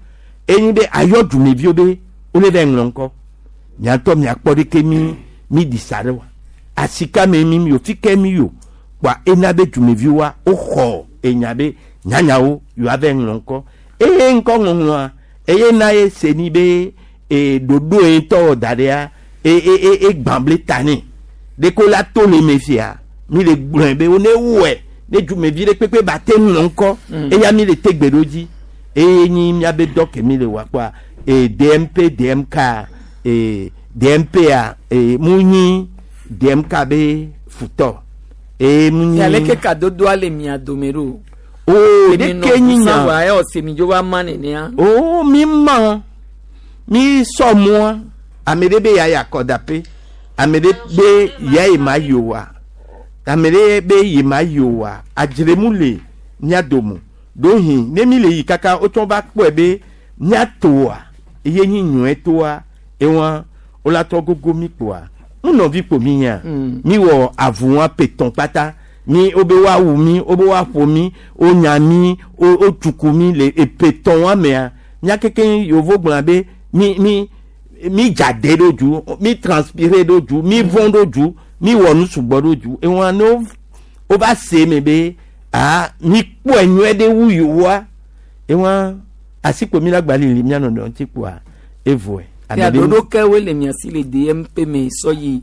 enyi be ayɔ dumeviwo be wole va ŋlɔ ŋkɔ miatɔ miakpɔ ɖeke mi mi ɖi sa ɖe wa asika me mi mi o fike mi yo kpoa ena be dumeviwoa woxɔ enya be nyanyawo yewoa va ŋlɔ ŋkɔ eye ŋkɔ ŋɔŋlɔa eye na ye se ni be e ɖoɖo ye ŋutɔ wɔ da ɖea e e e egbã ble ta nɛ ɖeko la to le me fia mi le gblɔe be wo ne wɔe ne dumevi ɖe kpekpe ba te ŋlɔ ŋkɔ eya mi le te gbe ɖo dzi eye nyi miabe dɔ ke mi le wɔ kpoa e DMP DMK e DMP a e mu nyi DMK be futɔ eye mu nyi. Aleke kadodoa le mia dome ɖo? O ɖeke nyi nya. Wa ɛ ɔse mi dzo va ma nenea. O mi ma mi sɔ mua ame ɖe be ya yi akɔdaƒe ame ɖe be ya yi ma yi oa ame ɖe be yi ma yi oa adzremu le mía dome ɖohi ne mi le yi kaka wotsɔ va kpɔe be míatoa eye nyi nyɔe toa ewa wola trɔ gogo mi kpoa ŋunɔvi kpo mi nya mi wɔ avu wa petɔn kpata mi wobe woawu mi wobe woaƒo mi wonya mi wo wotsuku mi le epetɔn wa mea mía keke yovo gblɔna be mi mi mi dza de ɖo du mi transpire ɖo du mi vɔn ɖo du mi wɔ nu sugbɔ ɖo du ewa ne wo wova se me be aa mi kpɔe nyuie ɖe wu yewoa ewa asikpo mi la gba lili mía nɔnɔ ŋuti kpoa evoe. Ya ɖoɖo kewoe le mia si le DMP me sɔ yi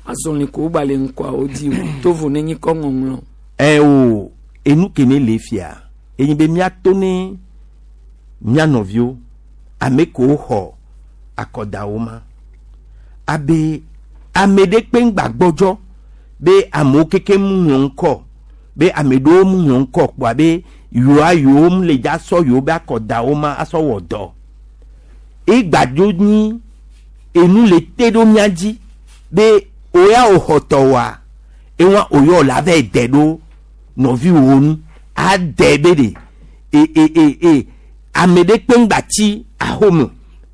azɔli ko gba le ŋkɔawo dzi o tovo ne nyi kɔ ŋɔŋlɔ. Ɛ o enu ke ne le fia enyi be míato ne mía nɔviwo ame kewo xɔ akɔdawo ma abe ame ɖe kpe ŋgba gbɔdzɔ be amewo keke mu ŋlɔ ŋkɔ be ame ɖewo mu ŋlɔ ŋkɔ kpoa be yewoa yewo mu le dza sɔ yewo be akɔdawo ma asɔ wɔ dɔ egbadzo nyi enu le te ɖo mía dzi be oya wò xɔ tɔwoa ewa oyɔ la va de ɖo nɔviwo nu ade be ɖe e e e e ame ɖe kpe ŋgba tsi ahome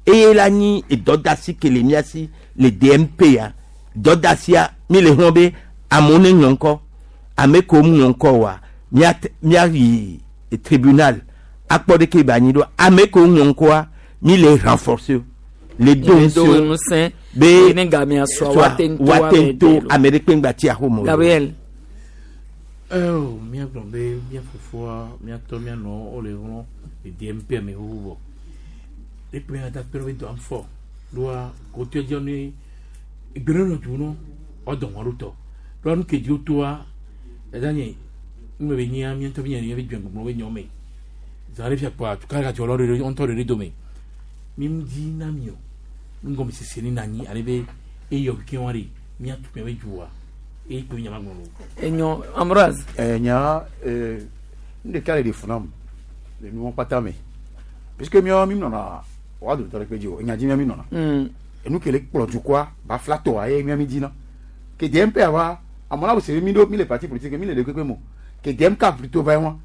eye la nyi edɔdasi ke le mía si le DMP ya dɔdasia mi le hlɔ̃ be amewo ne ŋlɔ ŋkɔ ame kewo mu ŋlɔ ŋkɔ oa mía míayi tribunal akpɔ ɖeke ba anyi ɖo ame kewo ŋlɔ ŋkɔa mi le renforcer le do Le do ŋusẽ ŋusẽ be ne gamea sɔa sɔa woate ŋu to woate ame ŋu to ɖe lo. ame ɖe kpe ŋgba tsi ahome o. Gabriel. Eo, míagblɔ be mía fofoa, míatɔ, mía nɔwo wole hlɔ̃ le DMP me xoxo vɔ. Ekpe mía katã kpe ɖe be dɔa ŋfɔ. Ɖoa kotoe dzi ne egbe ɖe nɔ du nɔ woadɔ ŋɔ ɖo tɔ. Ɖoa nu ke dzi wotoa, dada nye nu me be nyia mía ŋutɔ míenya be dzɔgbɔgblɔ be nyɔ me. Zã ɖe fia kpoa tukala gadzɔ lɔ ɖe ŋutɔ ɖe dome. Mi ŋu dzi na mi o. Nugɔmesese ne na anyi ale be eyɔ keke wa ɖe míatu mía be dzoa eye kpe nyama gblɔ lo. Enyo Ambroise. Ɛ nya ɛ nu ɖeka le ɖe fu nam le nuwo kpata me puisque míawo mi nɔna wa dometɔ ɖe kpe dzi o enya dzi mía mi nɔna. Enu ke le kplɔ dukɔa ba fila tɔa ye mía mi dzina ke DMP wa amewo la se mi ɖo mi le parti politique mi le ɖe kpekpe mo ke DMK plutôt va ye wa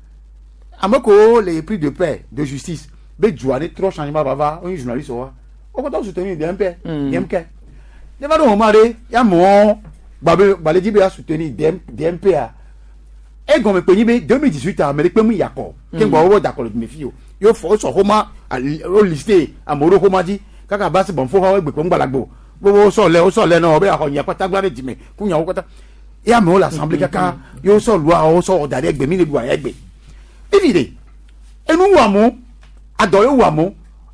ame kewo le prix de paix de justice be dua ne trɔ changement va va wonye journaliste wa wo katã soutenir DMP DMK ne va ɖo moment ɖe ya mɔ gbabe gbalẽ dzi be ya soutenir DM DMP a egɔme kpe nyi be 2018 ame ɖe kpe mu yakɔ ke ŋgbɔ wo dakɔ le dume fi o yo fɔ wosɔ xoma wo liste amewo ɖo xoma dzi kaka ba se bɔnfo xɔ egbe kpe ŋgbalagbo bo wosɔ lɛ wosɔ lɛ nɔ be axɔ nya kpata gba ɖe dzime ku nyawo kpata ye amewo le assemblée kaka ye wosɔ lua wosɔ wɔ da ɖe egbe mi le ɖu aya egbe evi de enu wɔ amewo adɔ ye wɔ amewo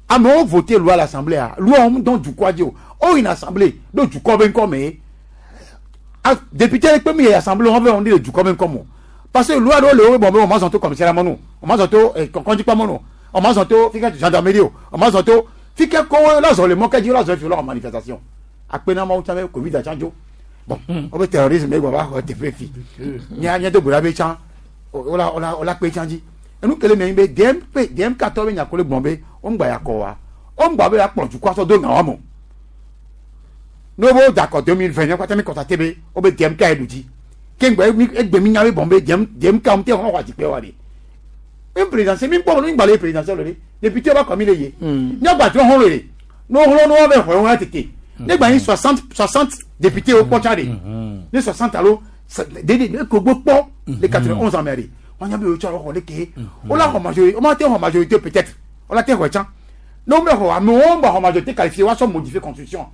amewo voté loi à l'assemblée a loi wɔm dɔn dukɔa dzi o o yina assemblée ɖo dukɔ be ŋkɔ me ye a député ɖe kpe mi yi assemblée wɔn bɛ wɔn de dukɔ be ŋkɔ mo parce que loi ɖewo le wo bɔn be wɔn ma zɔn to commissariat mɔnu wɔn ma zɔn to kɔndzikpa mɔnu wɔn ma zɔn to fi ke gendarmerie o wɔn ma zɔn to fi ke kɔwo la zɔn le mɔ ke dzi la zɔn fi la wɔ manifestation akpe na mawu tsã be covid tsã dzo bon wo be terrorisme ye gbɔ va xɔ teƒe fi mía mía do go ɖa be tsã wola wola wola kpe tsã dzi enu kele me be DMP DMK tɔ be nyakole gbɔn be wo ŋgba ya kɔ wa wo ŋgba be akplɔ dukɔ sɔ do ŋa wa mo ne wo dakɔ 2020 ne kpata mi kɔta te be wo be DMK ye ɖu dzi ke ŋgba egbe mi nya be bɔn be DM DMK ŋu te xɔ xɔ adzikpe wa de mi présidentiel mi kpɔ mi ŋgba le présidentiel le de député ba kɔ mi le ye nyagba trɔ xɔ le de ne wo xlɔ ne wo bɛ xɔ wɔn tete ne gba yi 60 60 député wo kpɔ tsa de ne 60 alo dede ne ko gbɔ kpɔ le 91 ans mɛ de wọn nya be wo tsɔ xɔ le ke wo la xɔ majorité wo ma te xɔ majorité peut-être wo la te xɔ tsã ne wo bɛ xɔ amewo gba xɔ majorité qualifiée wa sɔ modifier constitution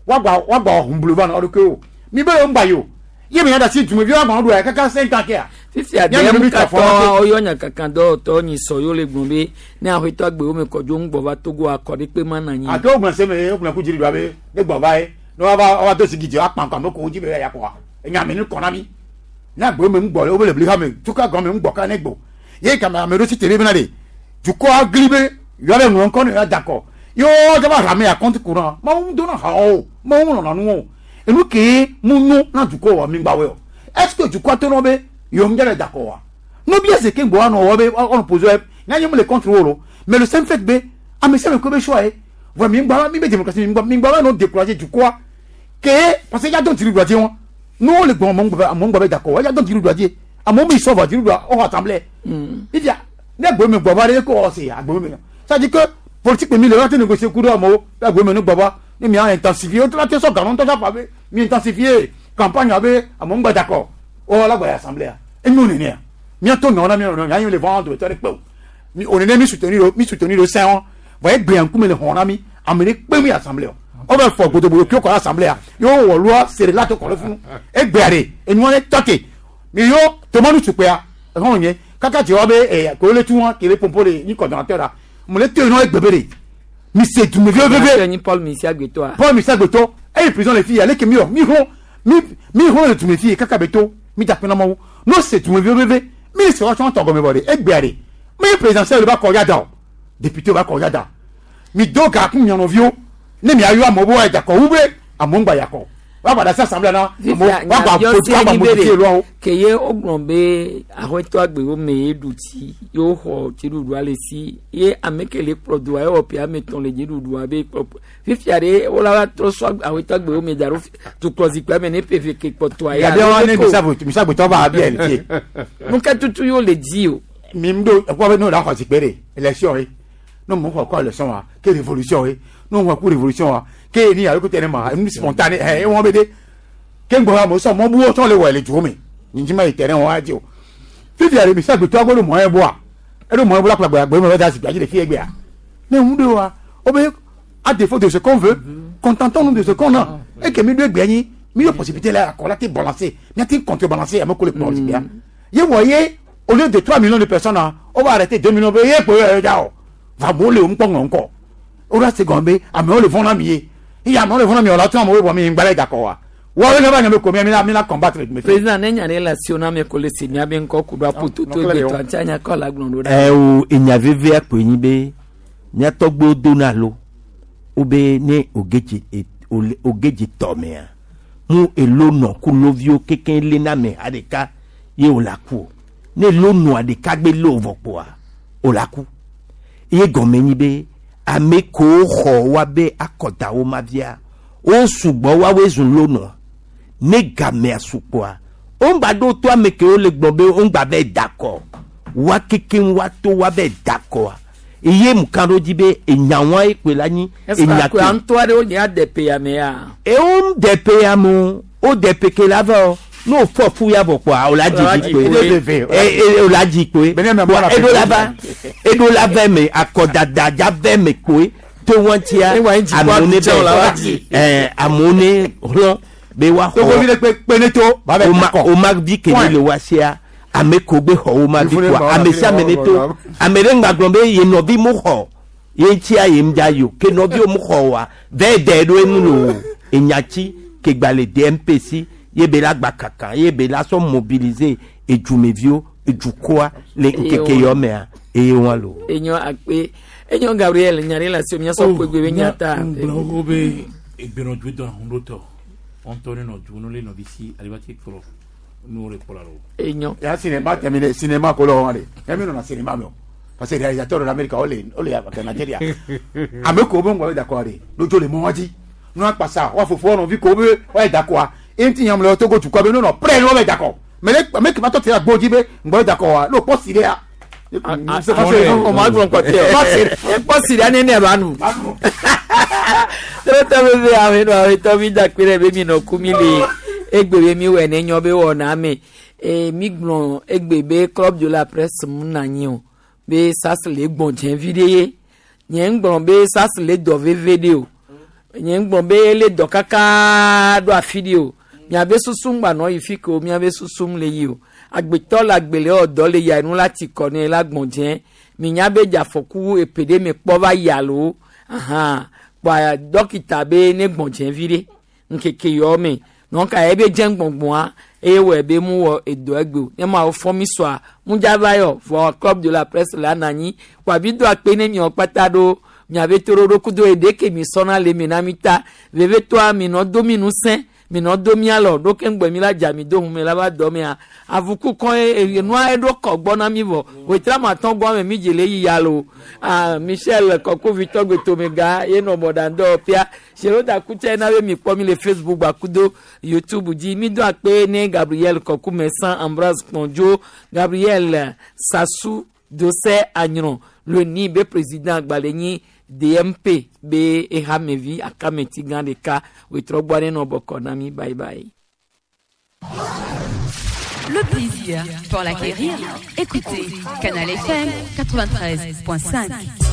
wa gba wa gba hunbulu va na ɔdo ke o mi be wo ŋgba yi o ye mi ya da si dumevi wa gba do ya kaka 5 ans ke ya. Fifia DMK tɔ woyɔ nyakaka dɔwɔtɔ nyi sɔ yewo le gblɔ be ne aƒetɔ agbewo me kɔdzo ŋgbɔ va Togo akɔ ɖe kpe ma na anyi. Ake wo gblɔ se me wo gblɔ ku dziri do abe ne gbɔ va ye ne wa va wa do sigi dzi akpa ŋkɔ ame ko dzi be ya kɔa enya me ne kɔ na mi ne agbewo me ŋgbɔ le wo be le bli ha me tuka gɔme ŋgbɔ ka ne gbɔ ye kame ame ɖo si te be bena de dukɔ agli be yɔ ɖe ŋlɔ ŋkɔ ne yɔ da kɔ yɔ dze va hame ya compte courant mawu dona ha o mawu lɔna nu o enu ke mu nyo na dukɔ wa mi gba wɛ o est ce que dukɔ to nɔ be yɔ ŋdze le da kɔ wa no bi ese ke ŋgbɔ wa nɔ wɔ be ɔnɔ pose wɛ nya nye mu le contre wo lo mais le simple fait be ame sia ame ko be choix ye vɔ mi ŋgbɔ mi be démocratie mi ŋgbɔ mi ŋgbɔ be nɔ décourager dukɔa ke parce que ya dɔn tiri doa dzi wɔn n'o le gbɔn mɔ ŋgbɔ be da kɔ wa ya dɔn tiri doa dzi. Amewo mi sɔ vɔ dziɖuɖua woxɔ assemblée. Fifia ne agbe me gbɔ va ɖe ko wɔ se agbe me. Ça dit que politique mi le wa te négocier ku ɖe amewo be agbe me ne gbɔ va ne mia intensifier wotrɔ te sɔ ganɔ ŋutɔ sa be mi intensifier campagne abe amewo ŋgba dakɔ wɔ la gbɔ yi assemblée enyo nenea miato nyawo na mia nɔnɔ mia le vɔn dometɔ ɖe kpe o mi o nene mi soutenir o mi soutenir o sɛn wɔn vɔ egbea ŋkume le xɔn na mi ame ɖe kpe mi assemblée o wo bɛ fɔ gbodogbodo kio kɔ ɖe assemblée yewo wɔ loi sere la to kɔ ɖe funu egbea ɖe enua ɖe tɔ te mi yo tomanu sukpea exɔn nye kaka dze wa be ɛ ko le tu wɔn kele pompo le nyi coordonnateur la mo le te nɔ egbe be de mi se dumeviwo veve nyi Paul Misi Agbetoa. Paul Misi Agbetɔ eyi prison le fi ya leke mi wɔ mi xɔ mi mi xɔ le dume fi kaka be to mi da kpena mawu n'o se dumeviwo veve mi se wa tsɔn tɔ gɔme vɔ de egbea de mi présidentiel ba kɔ ya da o député ba kɔ ya da mi do ga kun mianɔviwo ne mi ayɔ amewo be wa dakɔ wu be amewo ŋgba yakɔ wa gba da se assemblée na amewo wa gba vote wa gba modifier loi wo. Ke ye wogblɔ be aƒetɔ agbewo me ye ɖu tsi ye woxɔ dziɖuɖua le si ye ame ke le kplɔ doa ewɔ ƒe ame etɔ̃ le dziɖuɖua be kplɔ fifia ɖe wola va trɔ sɔ aƒetɔ agbewo me da ɖo tukplɔ zikpuia me ne ƒe eve ke kpɔtɔa ya. Gabia wa ne misa gbetɔ va abia le fie. Nu ka tutu yewo le dzi o. Mi ŋdo ekpɔ be ne o la xɔ zikpui ɖe élection ye ne mo xɔ kɔ élection wa ke révolution ye ne mo xɔ ku révolution wa ke ni alo ko tɛ ne ma nu spontané ɛ ewɔn be de ke ŋgbɔ wa mo sɔ mɔ buwo tɔ le wɔ le duwo me nyinyi ma yi terrain wa dzi o fifia ɖe misa gbetɔ agbɔ ɖo mɔ yɛ bɔa eɖo mɔ yɛ bɔ la kplɔ agbe me da zikpui dzi le fie gbea ne ŋu ɖe wa wo be à défaut de ce qu'on veut contentons-nous de ce qu'on a et que mi ɖo egbea nyi mi ɖo possibilité la akɔ la te balancer mi te contrebalancer ame ko le kplɔ zikpuia ye wɔ ye au lieu de 3 millions de personnes ah, on va arrêter 2 millions be ye kpo ye dza o va amewo le wo ŋkpɔ ŋlɔ ŋkɔ wo la se gɔme be amewo le vɔn na mi ye eye amewo le vɔn na mi o la tún amewo bɔ mi ŋgba le dakɔ wa wɔwo ne ba nya be ko mi mi la mi la combattre me Président ne nya ɖe le asiwò na ame ko le si miabe ŋkɔ ku ɖo aƒototo egbetɔa ŋuti anya kɔ la gblɔ ɖo ɖa. Ɛ o enya vevea koe nyi be mía tɔgbuiwo dona lo wobe ne wòge dze wòge dze tɔmea mu elo nɔ ku loviwo kekeŋ léna ame ha ɖeka ye wòle aku o ne lo nɔa ɖeka gbe lé wò vɔ kpoa wòle aku ye gɔme nyi be ame kewo xɔ woabe akɔdawo ma via wo sugbɔ woawoe zu lonɔa ne gamea su kpoa woŋgba ɖo to ame kewo le gblɔ be woŋgba vɛ da kɔ wa kekeŋ wa to wa vɛ da kɔa eye mu kan ɖo dzi be enyawoa ye koe la nyi enya ke ŋutɔ aɖewo nye adepe ya me ya. Ewo depe ya me o wo depe ke la vɛ o ne o fɔ fu ya vɔ kpoa o la dzi vi kpoe e o la dzi kpoe eɖo la va eɖo la vɛ me akɔdada dza vɛ me kpoe to wɔn tia amewo ne bɛ ɛɛ amewo ne hlɔ̃ be wa xɔ o ma vi ke ne le wa sia ame ko gbe xɔ wo ma vi kpoa ame sia ame ne to ame ɖe ŋgba gblɔ be ye nɔvi mu xɔ ye ŋutia ye ŋdza yi o ke nɔviwo mu xɔ wa vɛ dɛ ɖo enu lo enyatsi ke gba le DMPC ye be la gba kaka ye be la sɔ mobiliser edzumeviwo edukɔa le ŋkeke yɔ mea eye wa lo. Enyo akpe enyo Gabriel nya ɖe le asiwò miasɔ ƒe gbe be nya ta. Ŋgblɔ wo be egbenɔdu dɔ ahunɖotɔ ŋutɔ ne nɔ du ne le nɔvi si alibati kplɔ nuwo le kplɔ la lo. Enyo. Ya cinéma terminé cinéma ko lɔ wɔn de ɛmi nana cinéma mi o parce que réalisateur de l'Amérique o le o le ka Nigeria ame ko be ŋgɔ be dakɔ de n'o le mɔ dzi n'o akpasa wa fofo nɔvi ko be wa yi dakɔa enti nyam le Togo dukɔ be n'o nɔ prêt n'o bɛ dakɔ mais le ame kema tɔ te agbo dzi be ŋgbɔ be dakɔ wa n'o kpɔ si ɖe ya. O ma gblɔ kɔtɛ o ekpɔ si ɖe ne ne ba nu. Trɔtɔ bebe ame nɔ ametɔ mi da kpe ɖe be mi nɔ ku mi le egbe be mi wɔ ne nyɔ be wɔna me e mi gblɔ egbe be club de la presse mu na anyi o be sas le gbɔn dze vi ɖe ye nye ŋgblɔ be sas le dɔ veve ɖe o nye ŋgblɔ be le dɔ kaka ɖo afi ɖe o miabe susu ŋgba nɔ yi fi ke o miabe susu le yi o agbetɔ le agbele wɔ dɔ le ya enu la ti kɔ ne la gbɔn dze minya be dzafɔku epe ɖe me kpɔ va yi alo ahan kpɔa dɔkita be ne gbɔn dze vi ɖe ŋkeke yɔ me donc ebe dze gbɔngbɔa eye wɔ ebe mu wɔ edɔ egbe o ne ma wo fɔ mi sɔa mu dza va yɔ vɔ club de la presse la na anyi kpɔa bi do akpe ne miɔ kpata ɖo miabe to ɖoɖo kudo eɖe ke mi sɔna le mi na mi ta vevetoa mi nɔ do mi nu sẽ Minɔ do mía lɔ ɖo ke ŋgbɛ mi la dza mi do hume la va dɔ mea. Avuku kɔ ye enua eɖo kɔ gbɔ na mi vɔ. Wetra ma tɔn gbɔ ame mi dze le yi ya lo. Ah Michel Kɔkuvi tɔgbe tomega ye nɔ mɔɖaŋdɔ ƒea. Seroda kutse na be mi kpɔ mi le Facebook gbakudo YouTube dzi. Mi do akpe ne Gabriel Kɔku Mɛsan Ambroise Kpɔndzo Gabriel Sasu Dose Anyrɔ le ni be président gbalẽ nyi DMP be ehamevi akameti gã ɖeka wetrɔ gbɔ ne nɔ bɔkɔ na mi bye bye. Le plaisir, pour l'acquérir, écoutez Canal FM 93.5.